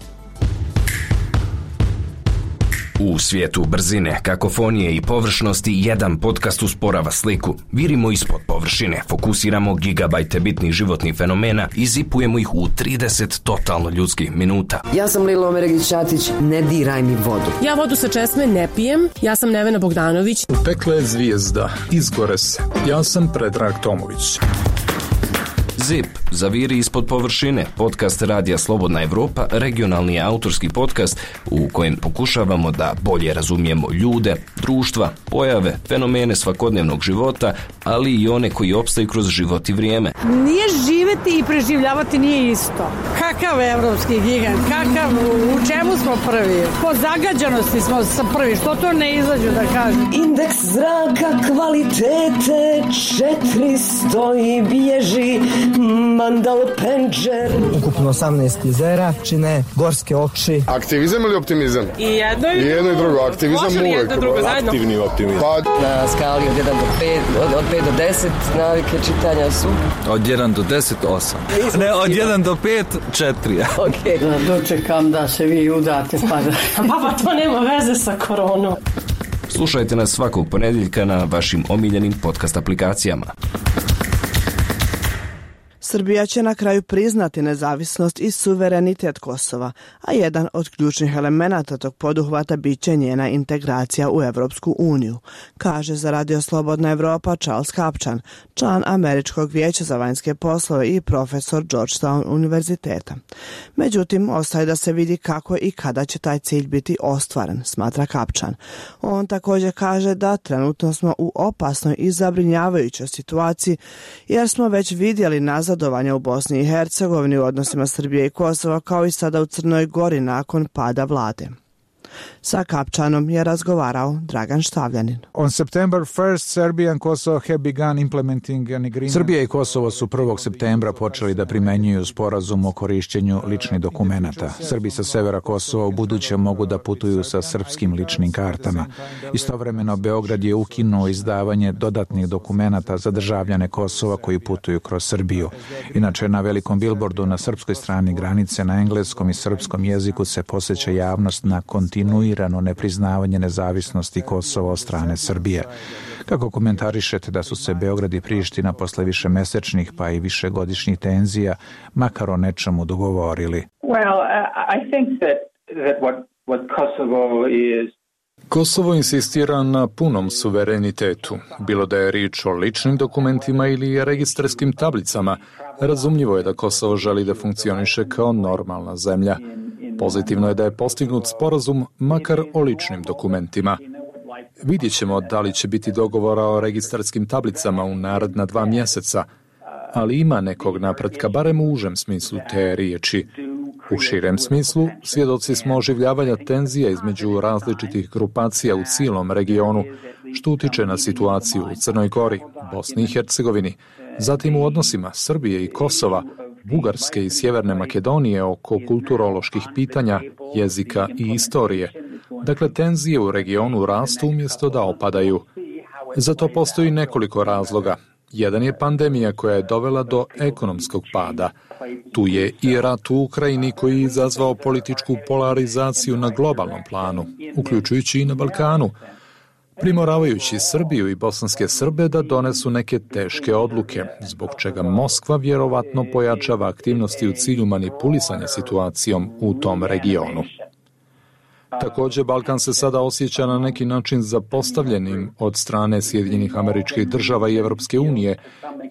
U svijetu brzine, kakofonije i površnosti jedan podcast usporava sliku. Virimo ispod površine, fokusiramo gigabajte bitnih životnih fenomena i zipujemo ih u 30 totalno ljudskih minuta. Ja sam Lejla Omeregić-Ćatić, ne diraj mi vodu. Ja vodu sa česme ne pijem, ja sam Nevena Bogdanović. Pekla je zvijezda, izgore se. Ja sam Predrag Tomović. ZIP, zaviri ispod površine, podcast Radija Slobodna Evropa, regionalni autorski podcast u kojem pokušavamo da bolje razumijemo ljude, društva, pojave, fenomene svakodnevnog života, ali i one koji opstaju kroz život i vrijeme. Nije živeti i preživljavati nije isto. Kakav evropski gigant, kakav, u čemu smo prvi? Po zagađanosti smo prvi, što to ne izađu da kažem? Indeks zraka kvalitete 400 i bježi Mandal Penđer. Ukupno 18 jezera čine gorske oči. Aktivizam ili optimizam? I jedno i drugo. Aktivizam uvijek. Aktivni optimizam. Na skali od 1 do 5, od 5 do 10 navike čitanja su? Od 1 do 10, 8. Ne, od 1 do 5, 4. Ok. Dočekam da se vi udate pa da... Pa to nema veze sa koronom. Slušajte nas svakog ponedjeljka na vašim omiljenim podcast aplikacijama. Srbija će na kraju priznati nezavisnost i suverenitet Kosova, a jedan od ključnih elemenata tog poduhvata bit će njena integracija u Evropsku uniju, kaže za Radio Slobodna Evropa Charles Kapčan, član Američkog vijeća za vanjske poslove i profesor Georgetown univerziteta. Međutim, ostaje da se vidi kako i kada će taj cilj biti ostvaren, smatra Kapčan. On također kaže da trenutno smo u opasnoj i zabrinjavajućoj situaciji, jer smo već vidjeli nazadovanja u Bosni i Hercegovini u odnosima Srbije i Kosova, kao i sada u Crnoj Gori nakon pada vlade. Sa Kapčanom je razgovarao Dragan Štavljanin. On September 1st, Serbia and Kosovo have begun implementing an agreement. Srbija i Kosovo su 1. septembra počeli da primenjuju sporazum o korišćenju ličnih dokumenata. Srbi sa severa Kosova u buduće mogu da putuju sa srpskim ličnim kartama. Istovremeno, Beograd je ukinuo izdavanje dodatnih dokumenata za državljane Kosova koji putuju kroz Srbiju. Inače, na velikom bilbordu na srpskoj strani granice na engleskom i srpskom jeziku se podsjeća javnost na kontinuitet kontinuirano nepriznavanje nezavisnosti Kosova od strane Srbije. Kako komentarišete da su se Beograd i Priština posle višemesečnih pa i višegodišnjih tenzija makar o nečemu dogovorili? Well, I think that what Kosovo is. Kosovo insistira na punom suverenitetu, bilo da je riječ o ličnim dokumentima ili registarskim tablicama. Razumljivo je da Kosovo želi da funkcioniše kao normalna zemlja. Pozitivno je da je postignut sporazum makar o ličnim dokumentima. Vidjet ćemo da li će biti dogovora o registarskim tablicama u naredna 2 mjeseca, ali ima nekog napretka, barem u užem smislu te riječi. U širem smislu, svjedoci smo oživljavanja tenzija između različitih grupacija u cijelom regionu, što utiče na situaciju u Crnoj Gori, Bosni i Hercegovini, zatim u odnosima Srbije i Kosova, Bugarske i Sjeverne Makedonije oko kulturoloških pitanja, jezika i istorije. Dakle, tenzije u regionu rastu umjesto da opadaju. Za to postoji nekoliko razloga. Jedan je pandemija koja je dovela do ekonomskog pada. Tu je i rat u Ukrajini koji je izazvao političku polarizaciju na globalnom planu, uključujući i na Balkanu, primoravajući Srbiju i bosanske Srbe da donesu neke teške odluke, zbog čega Moskva vjerovatno pojačava aktivnosti u cilju manipulisanja situacijom u tom regionu. Također, Balkan se sada osjeća na neki način zapostavljenim od strane Sjedinjenih Američkih Država i Europske unije,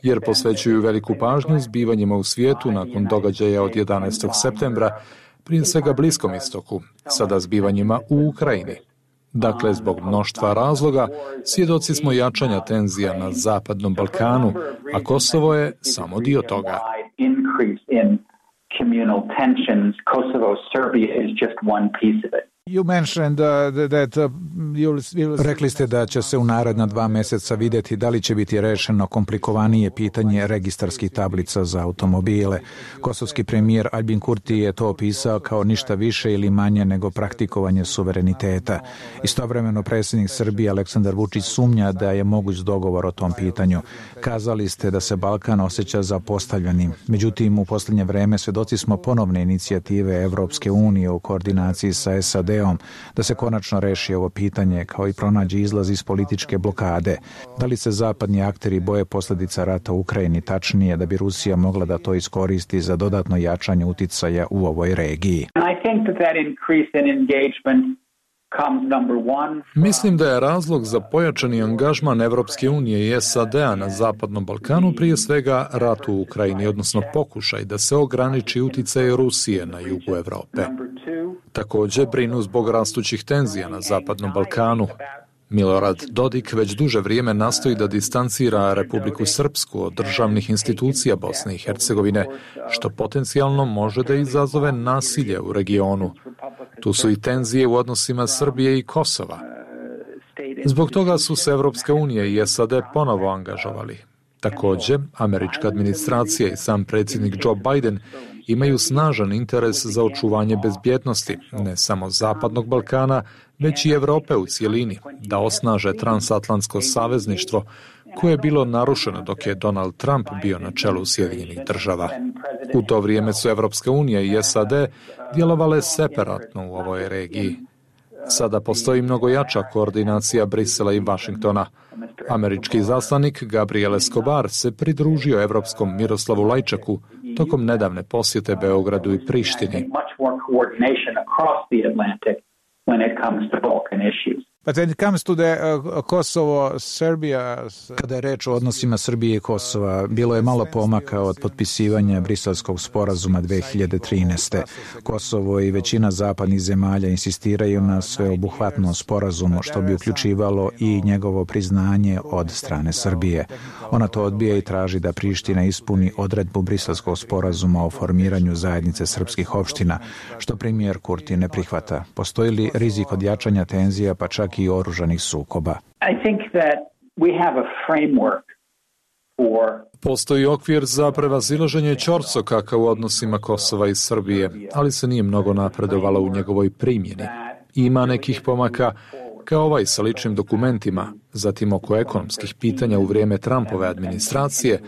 jer posvećuju veliku pažnju zbivanjima u svijetu nakon događaja od 11. septembra, prije svega Bliskom istoku, sada zbivanjima u Ukrajini. Dakle, zbog mnoštva razloga, svjedoci smo jačanja tenzija na Zapadnom Balkanu, a Kosovo je samo dio toga. Rekli ste da će se u naredna 2 mjeseca vidjeti da li će biti rešeno komplikovanije pitanje registarskih tablica za automobile. Kosovski premijer Albin Kurti je to opisao kao ništa više ili manje nego praktikovanje suvereniteta. Istovremeno predsjednik Srbije Aleksandar Vučić sumnja da je moguć dogovor o tom pitanju. Kazali ste da se Balkan osjeća zapostavljenim. Međutim, u posljednje vreme svjedoci smo ponovne inicijative Evropske unije u koordinaciji sa SAD-om da se konačno reši ovo pitanje kao i pronađe izlaz iz političke blokade. Da li se zapadni akteri boje posljedica rata u Ukrajini, tačnije da bi Rusija mogla da to iskoristi za dodatno jačanje uticaja u ovoj regiji? Mislim da je razlog za pojačani angažman Evropske unije i SAD-a na Zapadnom Balkanu prije svega rat u Ukrajini, odnosno pokušaj da se ograniči uticaj Rusije na jugu Europe. Također brinu zbog rastućih tenzija na Zapadnom Balkanu. Milorad Dodik već duže vrijeme nastoji da distancira Republiku Srpsku od državnih institucija Bosne i Hercegovine, što potencijalno može da izazove nasilje u regionu. Tu su i tenzije u odnosima Srbije i Kosova. Zbog toga su se Evropska unija i SAD ponovo angažovali. Također, američka administracija i sam predsjednik Joe Biden imaju snažan interes za očuvanje bezbjednosti, ne samo Zapadnog Balkana, već i Europe u cjelini, da osnaže transatlantsko savezništvo koje je bilo narušeno dok je Donald Trump bio na čelu Sjedinjenih Država. U to vrijeme su Evropska unija i SAD djelovale separatno u ovoj regiji. Sada postoji mnogo jača koordinacija Brisela i Vašingtona. Američki izaslanik Gabriel Escobar se pridružio evropskom Miroslavu Lajčaku tokom nedavne posjete Beogradu i Prištini. But when it comes to the Kosovo, Serbia... Kada je reč o odnosima Srbije i Kosova, bilo je malo pomaka od potpisivanja Briselskog sporazuma 2013. Kosovo i većina zapadnih zemalja insistiraju na sveobuhvatnom sporazumu, što bi uključivalo i njegovo priznanje od strane Srbije. Ona to odbija i traži da Priština ispuni odredbu Briselskog sporazuma o formiranju zajednice srpskih opština, što premijer Kurti ne prihvata. Postoji li rizik od jačanja tenzija, pa čak i oružanih sukoba? Postoji okvir za prevazilaženje ćorsokaka u odnosima Kosova i Srbije, ali se nije mnogo napredovalo u njegovoj primjeni. Ima nekih pomaka, kao ovaj sa ličnim dokumentima, zatim oko ekonomskih pitanja u vrijeme Trumpove administracije,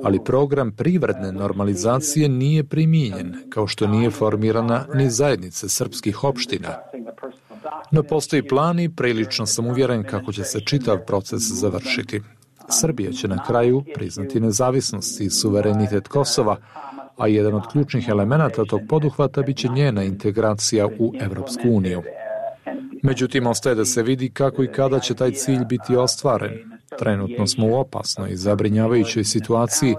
ali program privredne normalizacije nije primijenjen, kao što nije formirana ni zajednica srpskih opština. No postoji plan i prilično sam uvjeren kako će se čitav proces završiti. Srbija će na kraju priznati nezavisnost i suverenitet Kosova, a jedan od ključnih elemenata tog poduhvata biće njena integracija u Evropsku uniju. Međutim, ostaje da se vidi kako i kada će taj cilj biti ostvaren. Trenutno smo u opasnoj i zabrinjavajućoj situaciji,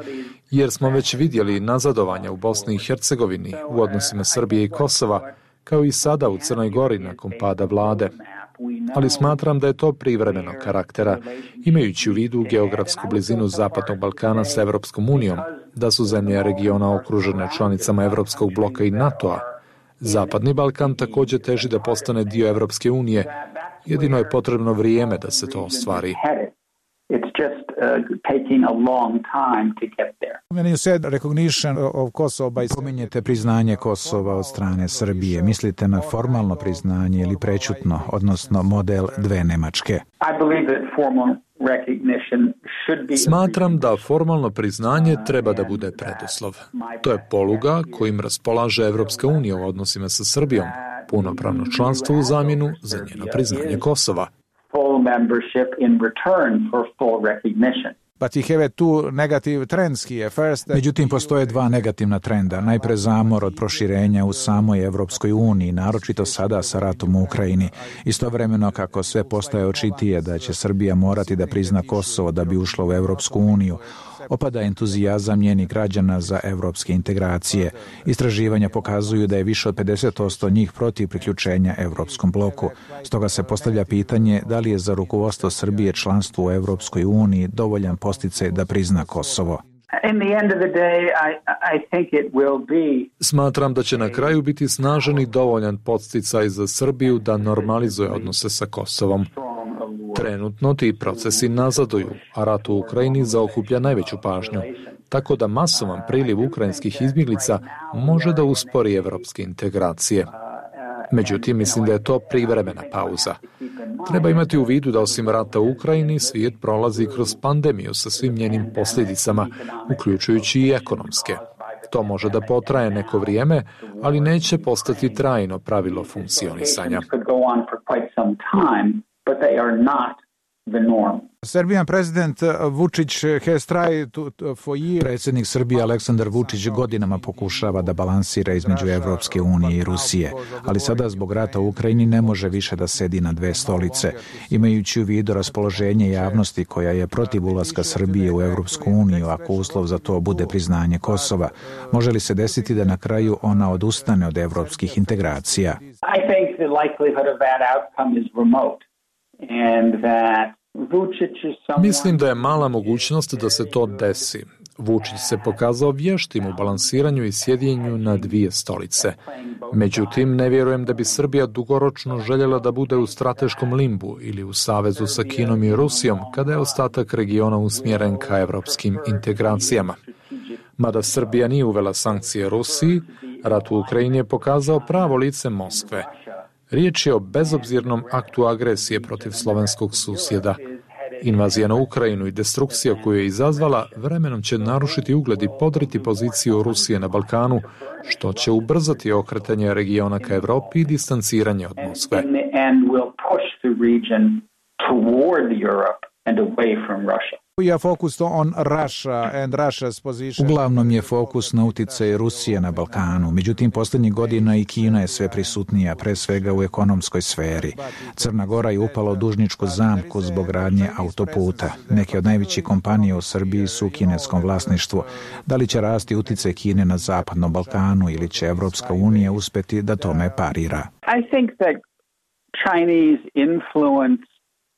jer smo već vidjeli nazadovanja u Bosni i Hercegovini u odnosima Srbije i Kosova, kao i sada u Crnoj Gori nakon pada vlade. Ali smatram da je to privremenog karaktera, imajući u vidu geografsku blizinu Zapadnog Balkana s Evropskom unijom, da su zemlje regiona okružene članicama Evropskog bloka i NATO-a. Zapadni Balkan također teži da postane dio Evropske unije, jedino je potrebno vrijeme da se to ostvari. When you said recognition of Kosovo by spominjete priznanje Kosova od strane Srbije, mislite na formalno priznanje ili prečutno, odnosno model dve Nemačke? Smatram da formalno priznanje treba da bude preduslov. To je poluga kojim raspolaže Evropska unija u odnosima sa Srbijom, punopravno članstvo u zamjenu za njeno priznanje Kosova. Međutim, postoje dva negativna trenda. Najpre zamor od proširenja u samoj Evropskoj uniji, naročito sada sa ratom u Ukrajini. Istovremeno, kako sve postaje očitije da će Srbija morati da prizna Kosovo da bi ušla u Evropsku uniju, opada entuzijazam njenih građana za evropske integracije. Istraživanja pokazuju da je više od 50% njih protiv priključenja Evropskom bloku. Stoga se postavlja pitanje da li je za rukovodstvo Srbije članstvo u Evropskoj uniji dovoljan podsticaj da prizna Kosovo. Smatram da će na kraju biti snažan i dovoljan podsticaj za Srbiju da normalizuje odnose sa Kosovom. Trenutno ti procesi nazaduju, a rat u Ukrajini zaokuplja najveću pažnju, tako da masovan priliv ukrajinskih izbjeglica može da uspori evropske integracije. Međutim, mislim da je to privremena pauza. Treba imati u vidu da osim rata u Ukrajini, svijet prolazi kroz pandemiju sa svim njenim posljedicama, uključujući i ekonomske. To može da potraje neko vrijeme, ali neće postati trajno pravilo funkcionisanja. But they are not the norm. Serbian president Vučić has tried for years. Predsjednik Srbije Aleksandar Vučić godinama pokušava da balansira između Evropske unije i Rusije, ali sada zbog rata u Ukrajini ne može više da sedi na dve stolice. Imajući u vidu raspoloženje javnosti koja je protiv ulaska Srbije u Evropsku uniju, ako uslov za to bude priznanje Kosova, može li se desiti da na kraju ona odustane od evropskih integracija? I think the likelihood of that outcome is remote. And that Mislim da je mala mogućnost da se to desi. Vučić se pokazao vještim u balansiranju i sjedinjenju na dvije stolice. Međutim, ne vjerujem da bi Srbija dugoročno željela da bude u strateškom limbu ili u savezu sa Kinom i Rusijom, kada je ostatak regiona usmjeren ka evropskim integracijama. Mada Srbija nije uvela sankcije Rusiji, rat u Ukrajini je pokazao pravo lice Moskve. Riječ je o bezobzirnom aktu agresije protiv slovenskog susjeda. Invazija na Ukrajinu i destrukcija koju je izazvala vremenom će narušiti ugled i podriti poziciju Rusije na Balkanu, što će ubrzati okretanje regiona ka Evropi i distanciranje od Moskve. Uglavnom je fokus na uticaj Rusije na Balkanu, međutim posljednjih godina i Kina je sve prisutnija, pre svega u ekonomskoj sferi. Crna Gora je upala u dužničku zamku zbog gradnje autoputa. Neke od najvećih kompanija u Srbiji su u kineskom vlasništvu. Da li će rasti uticaj Kine na Zapadnom Balkanu ili će Evropska unija uspjeti da tome parira? I think that Chinese influence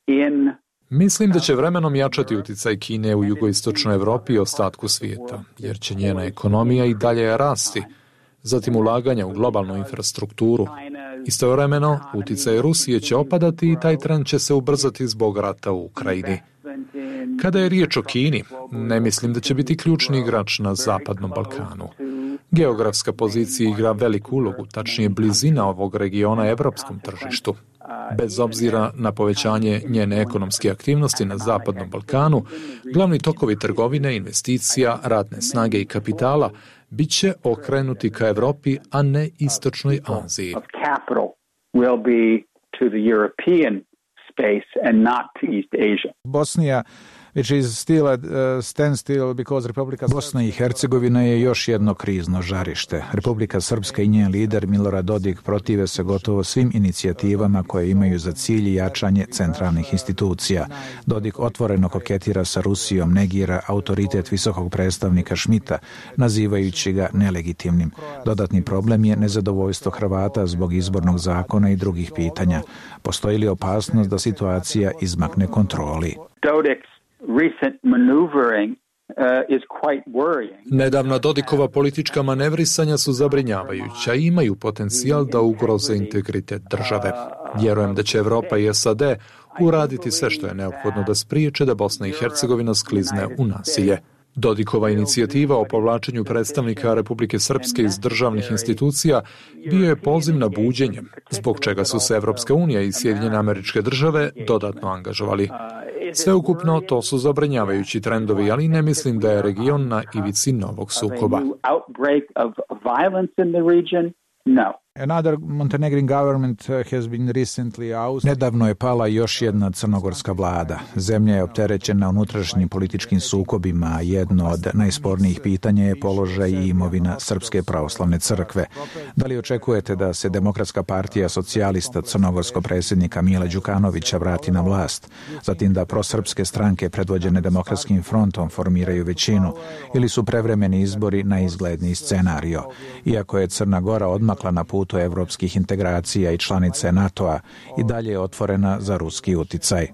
in Mislim da će vremenom jačati uticaj Kine u jugoistočnoj Evropi i ostatku svijeta, jer će njena ekonomija i dalje rasti, zatim ulaganja u globalnu infrastrukturu. Istovremeno, uticaj Rusije će opadati i taj trend će se ubrzati zbog rata u Ukrajini. Kada je riječ o Kini, ne mislim da će biti ključni igrač na Zapadnom Balkanu. Geografska pozicija igra veliku ulogu, tačnije blizina ovog regiona evropskom tržištu. Bez obzira na povećanje njene ekonomske aktivnosti na Zapadnom Balkanu, glavni tokovi trgovine, investicija, radne snage i kapitala bit će okrenuti ka Evropi, a ne istočnoj Aziji. to the European space and not to East Asia. Bosnia, which is still at standstill because Bosna i Hercegovina je još jedno krizno žarište. Republika Srpska i njen lider Milorad Dodik protive se gotovo svim inicijativama koje imaju za cilj jačanje centralnih institucija. Dodik otvoreno koketira sa Rusijom, negira autoritet visokog predstavnika Šmita, nazivajući ga nelegitimnim. Dodatni problem je nezadovoljstvo Hrvata zbog izbornog zakona i drugih pitanja. Postoji li opasnost da situacija izmakne kontroli? Recent maneuvering is quite worrying. Nedavna Dodikova politička manevrisanja su zabrinjavajuća i imaju potencijal da ugroze integritet države. Vjerujem da će Evropa i SAD uraditi sve što je neophodno da spriječe da Bosna i Hercegovina sklizne u nasilje. Dodikova inicijativa o povlačenju predstavnika Republike Srpske iz državnih institucija bio je poziv na buđenje, zbog čega su se Evropska unija i Sjedinjene Američke Države dodatno angažovali. Sveukupno, to su zabrinjavajući trendovi, ali ne mislim da je region na ivici novog sukoba. Another Montenegrin government has been recently ousted. Nedavno je pala još jedna crnogorska vlada. Zemlja je opterećena unutrašnjim političkim sukobima, a jedno od najspornijih pitanja je položaj i imovina Srpske pravoslavne crkve. Da li očekujete da se Demokratska partija socijalista crnogorskog predsjednika Mila Đukanovića vrati na vlast, zatim da prosrpske stranke predvođene Demokratskim frontom formiraju većinu, ili su prevremeni izbori najizgledniji scenario? Iako je Crna Gora odmakla na putu evropskih integracija i članice NATO-a, i dalje je otvorena za ruski uticaj.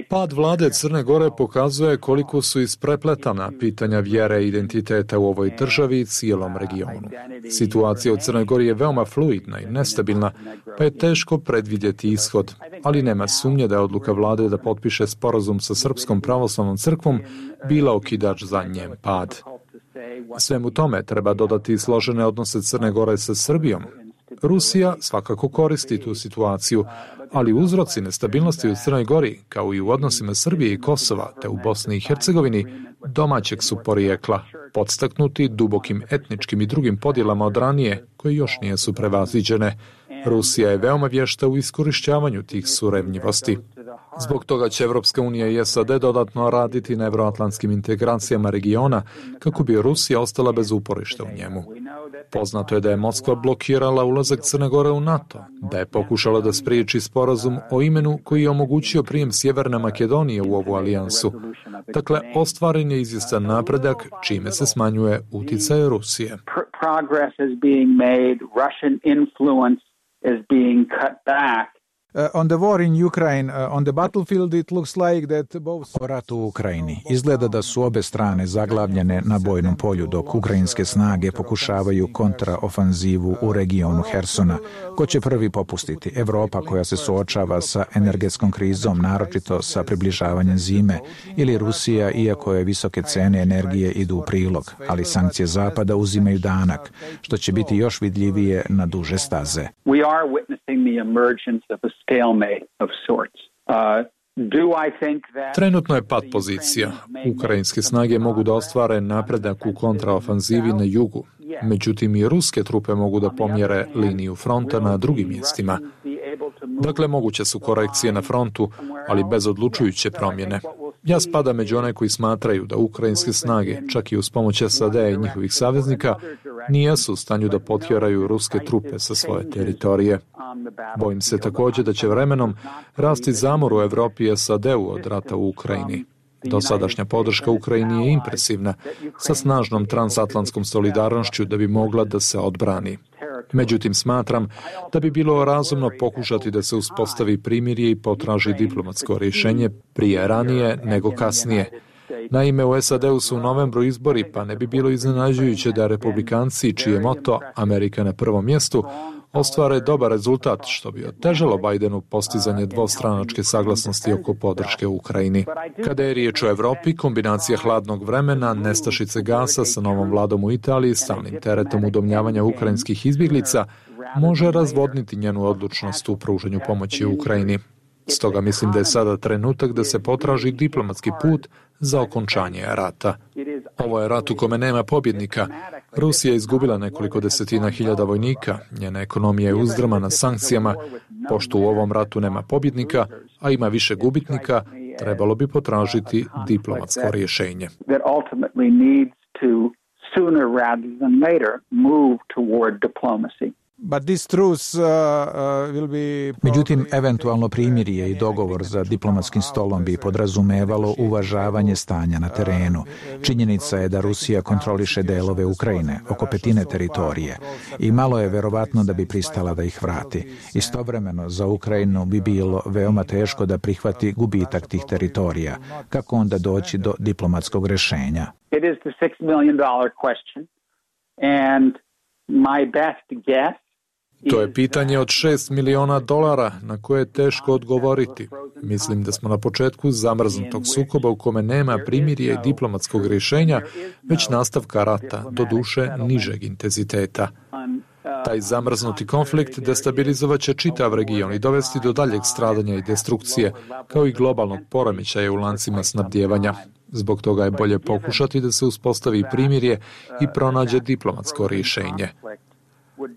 Pad vlade Crne Gore pokazuje koliko su isprepletana pitanja vjere i identiteta u ovoj državi i cijelom regionu. Situacija u Crnoj Gori je veoma fluidna i nestabilna, pa je teško predvidjeti ishod, ali nema sumnje da je odluka vlade da potpiše sporazum sa Srpskom pravoslavnom crkvom bila okidač za njen pad. Svemu tome treba dodati složene odnose Crne Gore sa Srbijom. Rusija svakako koristi tu situaciju, ali uzroci nestabilnosti u Crnoj Gori, kao i u odnosima Srbije i Kosova, te u Bosni i Hercegovini, domaćeg su porijekla, podstaknuti dubokim etničkim i drugim podjelama od ranije, koje još nisu prevaziđene. Rusija je veoma vješta u iskorišćavanju tih surevnjivosti. Zbog toga će Evropska unija i SAD dodatno raditi na evroatlantskim integracijama regiona kako bi Rusija ostala bez uporišta u njemu. Poznato je da je Moskva blokirala ulazak Crne Gore u NATO, da je pokušala da spriječi sporazum o imenu koji je omogućio prijem Sjeverne Makedonije u ovu alijansu. Dakle, ostvaren je izvjestan napredak, čime se smanjuje uticaj Rusije. Progress is being made, Russian influence is being cut back. On the war in Ukraine, on the battlefield it looks like that both... O ratu u Ukrajini. Izgleda da su obe strane zaglavljene na bojnom polju, dok ukrajinske snage pokušavaju kontraofanzivu u regionu Hersona. Ko će prvi popustiti? Evropa koja se suočava sa energetskom krizom, naročito sa približavanjem zime, ili Rusija, iako je visoke cene energije idu u prilog, ali sankcije Zapada uzimaju danak, što će biti još vidljivije na duže staze. We are witnessing the emergence of a stalemate of sorts. Trenutno je pad pozicija. Ukrajinske snage mogu da ostvare napredak u kontraofanzivi na jugu. Međutim, i ruske trupe mogu da pomjere liniju fronta na drugim mjestima. Dakle, moguće su korekcije na frontu, ali bez odlučujuće promjene. Ja spadam među one koji smatraju da ukrajinske snage, čak i uz pomoć SAD-a i njihovih saveznika, nijesu u stanju da potjeraju ruske trupe sa svoje teritorije. Bojim se također da će vremenom rasti zamor u Evropi i SAD-u od rata u Ukrajini. Dosadašnja podrška Ukrajini je impresivna, sa snažnom transatlantskom solidarnošću da bi mogla da se odbrani. Međutim, smatram da bi bilo razumno pokušati da se uspostavi primirje i potraži diplomatsko rješenje prije ranije nego kasnije. Naime, u SAD-u su u novembru izbori, pa ne bi bilo iznenađujuće da republikanci, čiji je moto Amerika na prvom mjestu, ostvare dobar rezultat, što bi otežalo Bidenu postizanje dvostranačke saglasnosti oko podrške u Ukrajini. Kada je riječ o Evropi, kombinacija hladnog vremena, nestašice gasa sa novom vladom u Italiji, stalnim teretom udomljavanja ukrajinskih izbjeglica, može razvodniti njenu odlučnost u pružanju pomoći u Ukrajini. Stoga mislim da je sada trenutak da se potraži diplomatski put za okončanje rata. Ovo je rat u kome nema pobjednika, Rusija je izgubila nekoliko desetina hiljada vojnika, njena ekonomija je uzdrmana sankcijama, pošto u ovom ratu nema pobjednika, a ima više gubitnika, trebalo bi potražiti diplomatsko rješenje. Međutim, eventualno primirje i dogovor za diplomatskim stolom bi podrazumevalo uvažavanje stanja na terenu. Činjenica je da Rusija kontroliše delove Ukrajine, oko petine teritorije, i malo je verovatno da bi pristala da ih vrati. Istovremeno, za Ukrajinu bi bilo veoma teško da prihvati gubitak tih teritorija. Kako onda doći do diplomatskog rješenja? It is the $6 million question, and my best guess. To je pitanje od $6 miliona na koje je teško odgovoriti. Mislim da smo na početku zamrznutog sukoba u kome nema primirja i diplomatskog rješenja, već nastavka rata, doduše nižeg intenziteta. Taj zamrznuti konflikt destabilizovat će čitav region i dovesti do daljeg stradanja i destrukcije, kao i globalnog poremećaja u lancima snabdijevanja. Zbog toga je bolje pokušati da se uspostavi primirje i pronađe diplomatsko rješenje.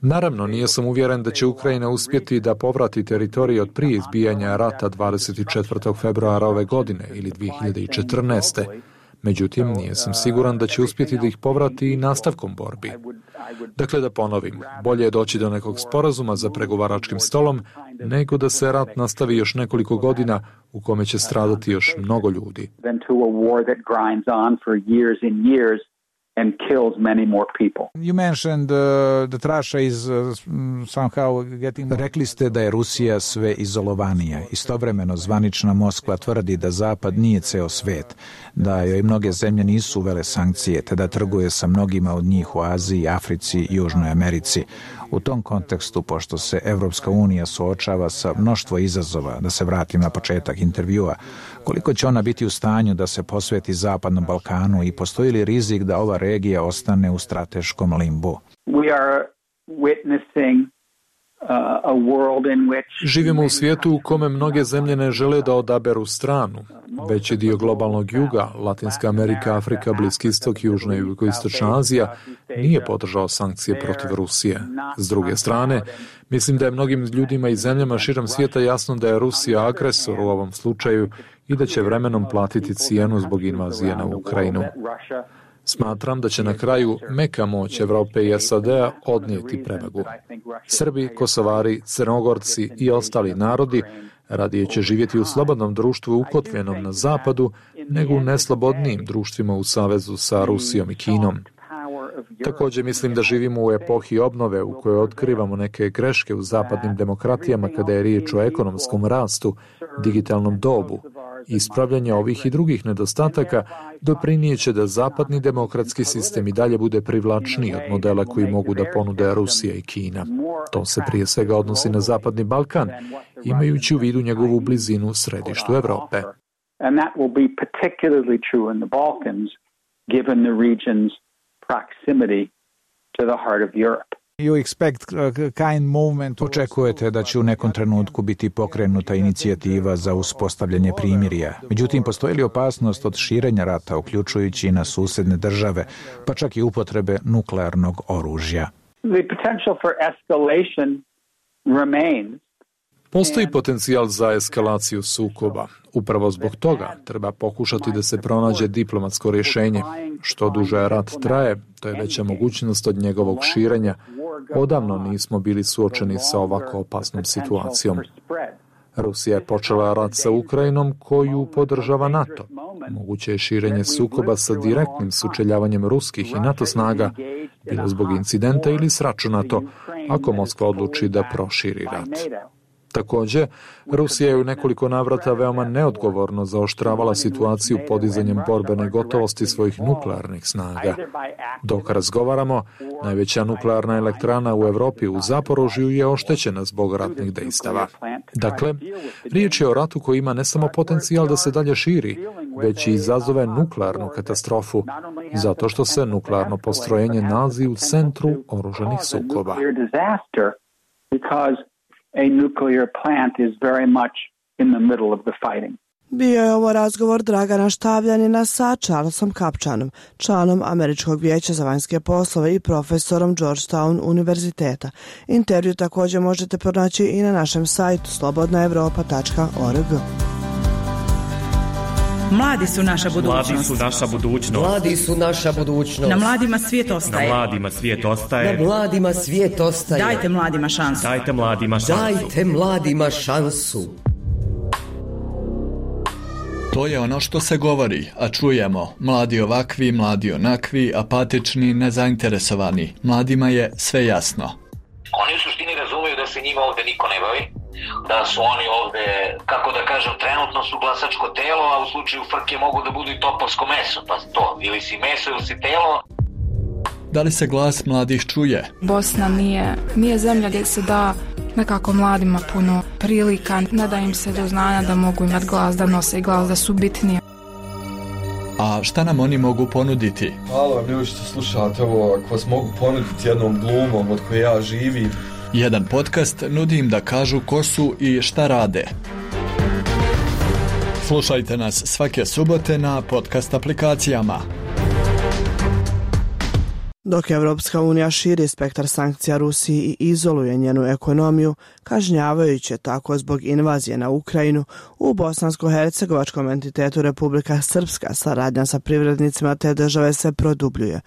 Naravno, nije sam uvjeren da će Ukrajina uspjeti da povrati teritorije od prije izbijanja rata 24. februara ove godine ili 2014. Međutim, nije sam siguran da će uspjeti da ih povrati i nastavkom borbi. Dakle, da ponovim, bolje je doći do nekog sporazuma za pregovaračkim stolom, nego da se rat nastavi još nekoliko godina u kome će stradati još mnogo ljudi. And kills many more people. You mentioned that Russia is somehow getting... Rekli ste da je Rusija sve izolovanija. Istovremeno zvanična Moskva tvrdi da Zapad nije ceo svet, da joj mnoge zemlje nisu uvele sankcije, te da trguje sa mnogima od njih u Aziji, Africi i Južnoj Americi. U tom kontekstu, pošto se Evropska unija suočava sa mnoštvo izazova, da se vratim na početak intervjua, koliko će ona biti u stanju da se posveti Zapadnom Balkanu i postoji li rizik da ova regija ostane u strateškom limbu? We are witnessing a world in which... Živimo u svijetu u kome mnoge zemlje ne žele da odaberu stranu. Veći dio globalnog juga, Latinska Amerika, Afrika, Bliski istok, Južna i Jugoistočna Azija, nije podržao sankcije protiv Rusije. S druge strane, mislim da je mnogim ljudima i zemljama širom svijeta jasno da je Rusija agresor u ovom slučaju i da će vremenom platiti cijenu zbog invazije na Ukrajinu. Smatram da će na kraju meka moć Evrope i SAD-a odnijeti prevagu. Srbi, Kosovari, Crnogorci i ostali narodi radije će živjeti u slobodnom društvu ukotvenom na zapadu nego u neslobodnijim društvima u savezu sa Rusijom i Kinom. Također mislim da živimo u epohi obnove u kojoj otkrivamo neke greške u zapadnim demokratijama kada je riječ o ekonomskom rastu, digitalnom dobu. Ispravljanje ovih i drugih nedostataka doprinijeće da zapadni demokratski sistem i dalje bude privlačniji od modela koji mogu da ponude Rusija i Kina. To se prije svega odnosi na Zapadni Balkan, imajući u vidu njegovu blizinu u središtu Evrope. And that will be particularly true in the Balkans, given the region's proximity to the heart of Europe. Očekujete da će u nekom trenutku biti pokrenuta inicijativa za uspostavljanje primirja. Međutim, postoji li opasnost od širenja rata, uključujući i na susjedne države, pa čak i upotrebe nuklearnog oružja? The potential for escalation remains. Postoji potencijal za eskalaciju sukoba. Upravo zbog toga treba pokušati da se pronađe diplomatsko rješenje. Što duže rat traje, to je veća mogućnost od njegovog širenja. Odavno nismo bili suočeni sa ovako opasnom situacijom. Rusija je počela rat sa Ukrajinom koju podržava NATO. Moguće je širenje sukoba sa direktnim sučeljavanjem ruskih i NATO snaga, bilo zbog incidenta ili sračunato, ako Moskva odluči da proširi rat. Također, Rusija je u nekoliko navrata veoma neodgovorno zaoštravala situaciju podizanjem borbene gotovosti svojih nuklearnih snaga. Dok razgovaramo, najveća nuklearna elektrana u Europi u Zaporožju je oštećena zbog ratnih dejstava. Dakle, riječ je o ratu koji ima ne samo potencijal da se dalje širi, već i izazove nuklearnu katastrofu, zato što se nuklearno postrojenje nalazi u centru oružanih sukoba. A nuclear plant is very much in the middle of the fighting. Bio je ovo razgovor Dragana Štavljanina sa Charlesom Kapčanom, članom Američkog vijeća za vanjske poslove i profesorom Georgetown univerziteta. Intervju također možete pronaći i na našem sajtu slobodnaevropa.org. Mladi su naša budućnost. Mladi su naša budućnost. Mladi su naša budućnost. Na mladima svijet ostaje. Na mladima svijet ostaje. Na mladima svijet ostaje. Dajte mladima šansu. Dajte mladima šansu. Dajte mladima šansu. To je ono što se govori, a čujemo. Mladi ovakvi, mladi onakvi, apatični, nezainteresovani. Mladima je sve jasno. Oni u suštini razumiju da se njima ovde niko ne bavi, da su oni ovde, kako da kažem, trenutno su glasačko telo, a u slučaju frke mogu da budu i topovsko meso, pa to, ili si meso ili si telo. Da li se glas mladih čuje? Bosna nije zemlja gdje se da nekako mladima puno prilika, ne da im se do znanja da mogu imati glas, da nose glas, da su bitnije. A šta nam oni mogu ponuditi? Halo, ljudi što slušate ovo, ako vas mogu ponuditi jednom glumom od koje ja živim. Jedan podcast nudi im da kažu ko su i šta rade. Slušajte nas svake subote na podcast aplikacijama. Dok Evropska unija širi spektar sankcija Rusiji i izoluje njenu ekonomiju, kažnjavajući tako zbog invazije na Ukrajinu, u bosansko-hercegovačkom entitetu Republika Srpska saradnja sa privrednicima te države se produbljuje.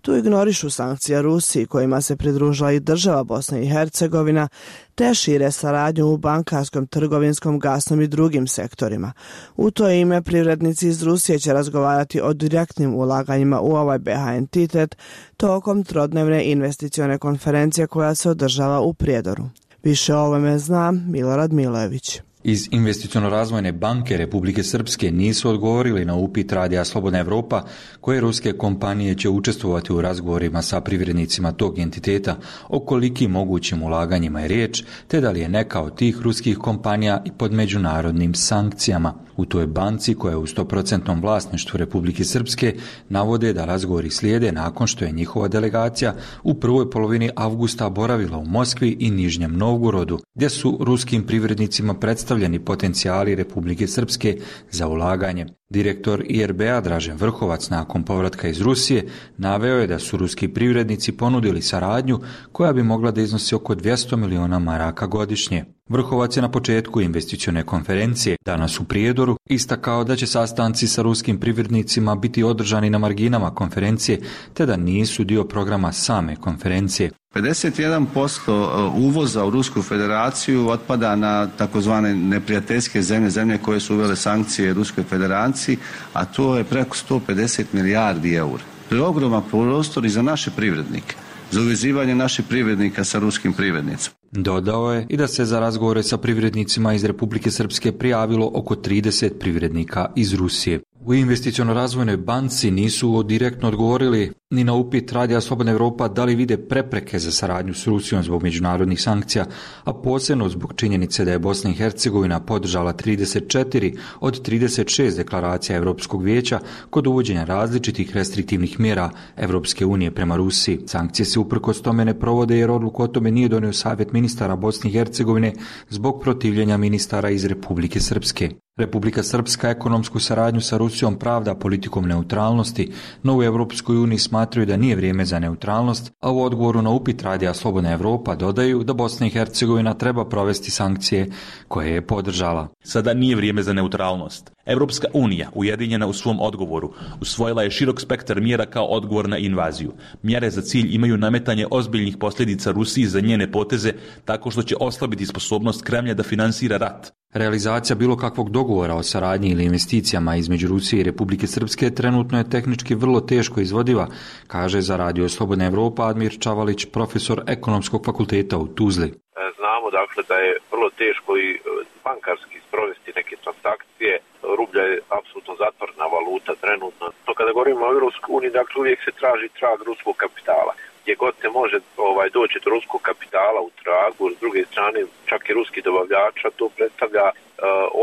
Tu ignorišu sankcije Rusiji kojima se pridružila i država Bosna i Hercegovina, te šire saradnju u bankarskom, trgovinskom, gasnom i drugim sektorima. U to ime privrednici iz Rusije će razgovarati o direktnim ulaganjima u ovaj BiH entitet tokom trodnevne investicione konferencije koja se održava u Prijedoru. Više o ovome zna Milorad Milojević. Iz Investiciono-razvojne banke Republike Srpske nisu odgovorili na upit Radija Slobodna Evropa koje ruske kompanije će učestvovati u razgovorima sa privrednicima tog entiteta o kolikim mogućim ulaganjima je riječ, te da li je neka od tih ruskih kompanija i pod međunarodnim sankcijama. U toj banci, koja je u 100% vlasništvu Republike Srpske, navode da razgovori slijede nakon što je njihova delegacija u prvoj polovini avgusta boravila u Moskvi i Nižnjem Novgorodu, gdje su ruskim privrednicima predstavljeni potencijali Republike Srpske za ulaganje. Direktor IRB-a Dražen Vrhovac nakon povratka iz Rusije naveo je da su ruski privrednici ponudili saradnju koja bi mogla da iznosi oko 200 miliona maraka godišnje. Vrhovac je na početku investicione konferencije danas u Prijedoru istakao da će sastanci sa ruskim privrednicima biti održani na marginama konferencije, te da nisu dio programa same konferencije. 51% uvoza u Rusku federaciju otpada na takozvane neprijateljske zemlje koje su uvele sankcije Ruskoj federaciji, a to je preko 150 milijardi eura. To je ogroman prostor i za naše privrednike, za uvezivanje naših privrednika sa ruskim privrednicima. Dodao je i da se za razgovore sa privrednicima iz Republike Srpske prijavilo oko 30 privrednika iz Rusije. U Investiciono-razvojnoj banci nisu direktno odgovorili ni na upit Radija Slobodna Evropa da li vide prepreke za saradnju s Rusijom zbog međunarodnih sankcija, a posebno zbog činjenice da je Bosna i Hercegovina podržala 34 od 36 deklaracija Europskog vijeća kod uvođenja različitih restriktivnih mjera Europske unije prema Rusiji. Sankcije se uprkos tome ne provode jer odluku o tome nije donio Savjet ministara Bosne i Hercegovine zbog protivljenja ministara iz Republike Srpske. Republika Srpska ekonomsku saradnju sa Rusijom pravda politikom neutralnosti, no u Europskoj uniji smatraju da nije vrijeme za neutralnost, a u odgovoru na upit Radija Slobodna Evropa dodaju da Bosna i Hercegovina treba provesti sankcije koje je podržala. Sada nije vrijeme za neutralnost. Europska unija, ujedinjena u svom odgovoru, usvojila je širok spektar mjera kao odgovor na invaziju. Mjere za cilj imaju nametanje ozbiljnih posljedica Rusiji za njene poteze tako što će oslabiti sposobnost Kremlja da finansira rat. Realizacija bilo kakvog dogovora o saradnji ili investicijama između Rusije i Republike Srpske trenutno je tehnički vrlo teško izvodiva, kaže za Radio Slobodna Evropa Admir Čavalić, profesor Ekonomskog fakulteta u Tuzli. Znamo dakle da je vrlo teško i bankarski sprovesti neke transakcije. Rublja je apsolutno zatvorena valuta trenutno. To kada govorimo o Europskoj uniji, dakle uvijek se traži trag ruskog kapitala. Gdje god se može doći do ruskog kapitala u tragu, s druge strane čak i ruski dobavljača, to predstavlja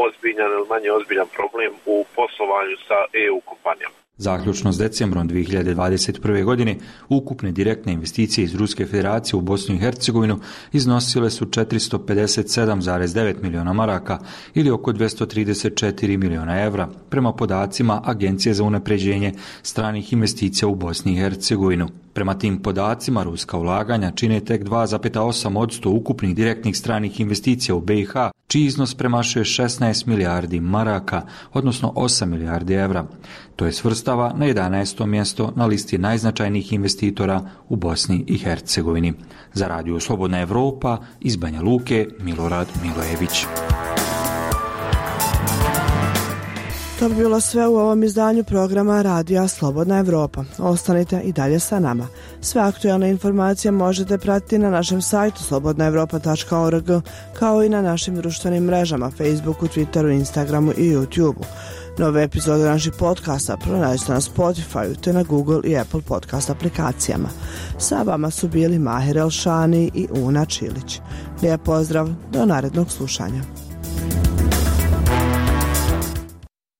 ozbiljan ili manje ozbiljan problem u poslovanju sa EU kompanijama. Zaključno s decembrom 2021. godine, ukupne direktne investicije iz Ruske federacije u Bosnu i Hercegovinu iznosile su 457,9 miliona maraka ili oko 234 miliona evra, prema podacima Agencije za unapređenje stranih investicija u Bosni i Hercegovinu. Prema tim podacima, ruska ulaganja čine tek 2,8% ukupnih direktnih stranih investicija u BiH, čiji iznos premašuje 16 milijardi maraka, odnosno 8 milijardi evra. To je svrstava na 11. mjesto na listi najznačajnijih investitora u Bosni i Hercegovini. Za Radio Slobodna Evropa, iz Banja Luke, Milorad Milojević. To bi bilo sve u ovom izdanju programa Radija Slobodna Evropa. Ostanite i dalje sa nama. Sve aktualne informacije možete pratiti na našem sajtu slobodnaevropa.org, kao i na našim društvenim mrežama Facebooku, Twitteru, Instagramu i YouTubeu. Nove epizode naših podcasta pronađite na Spotify, te na Google i Apple podcast aplikacijama. Sa vama su bili Mahir Elšani i Una Čilić. Lijep pozdrav, do narednog slušanja.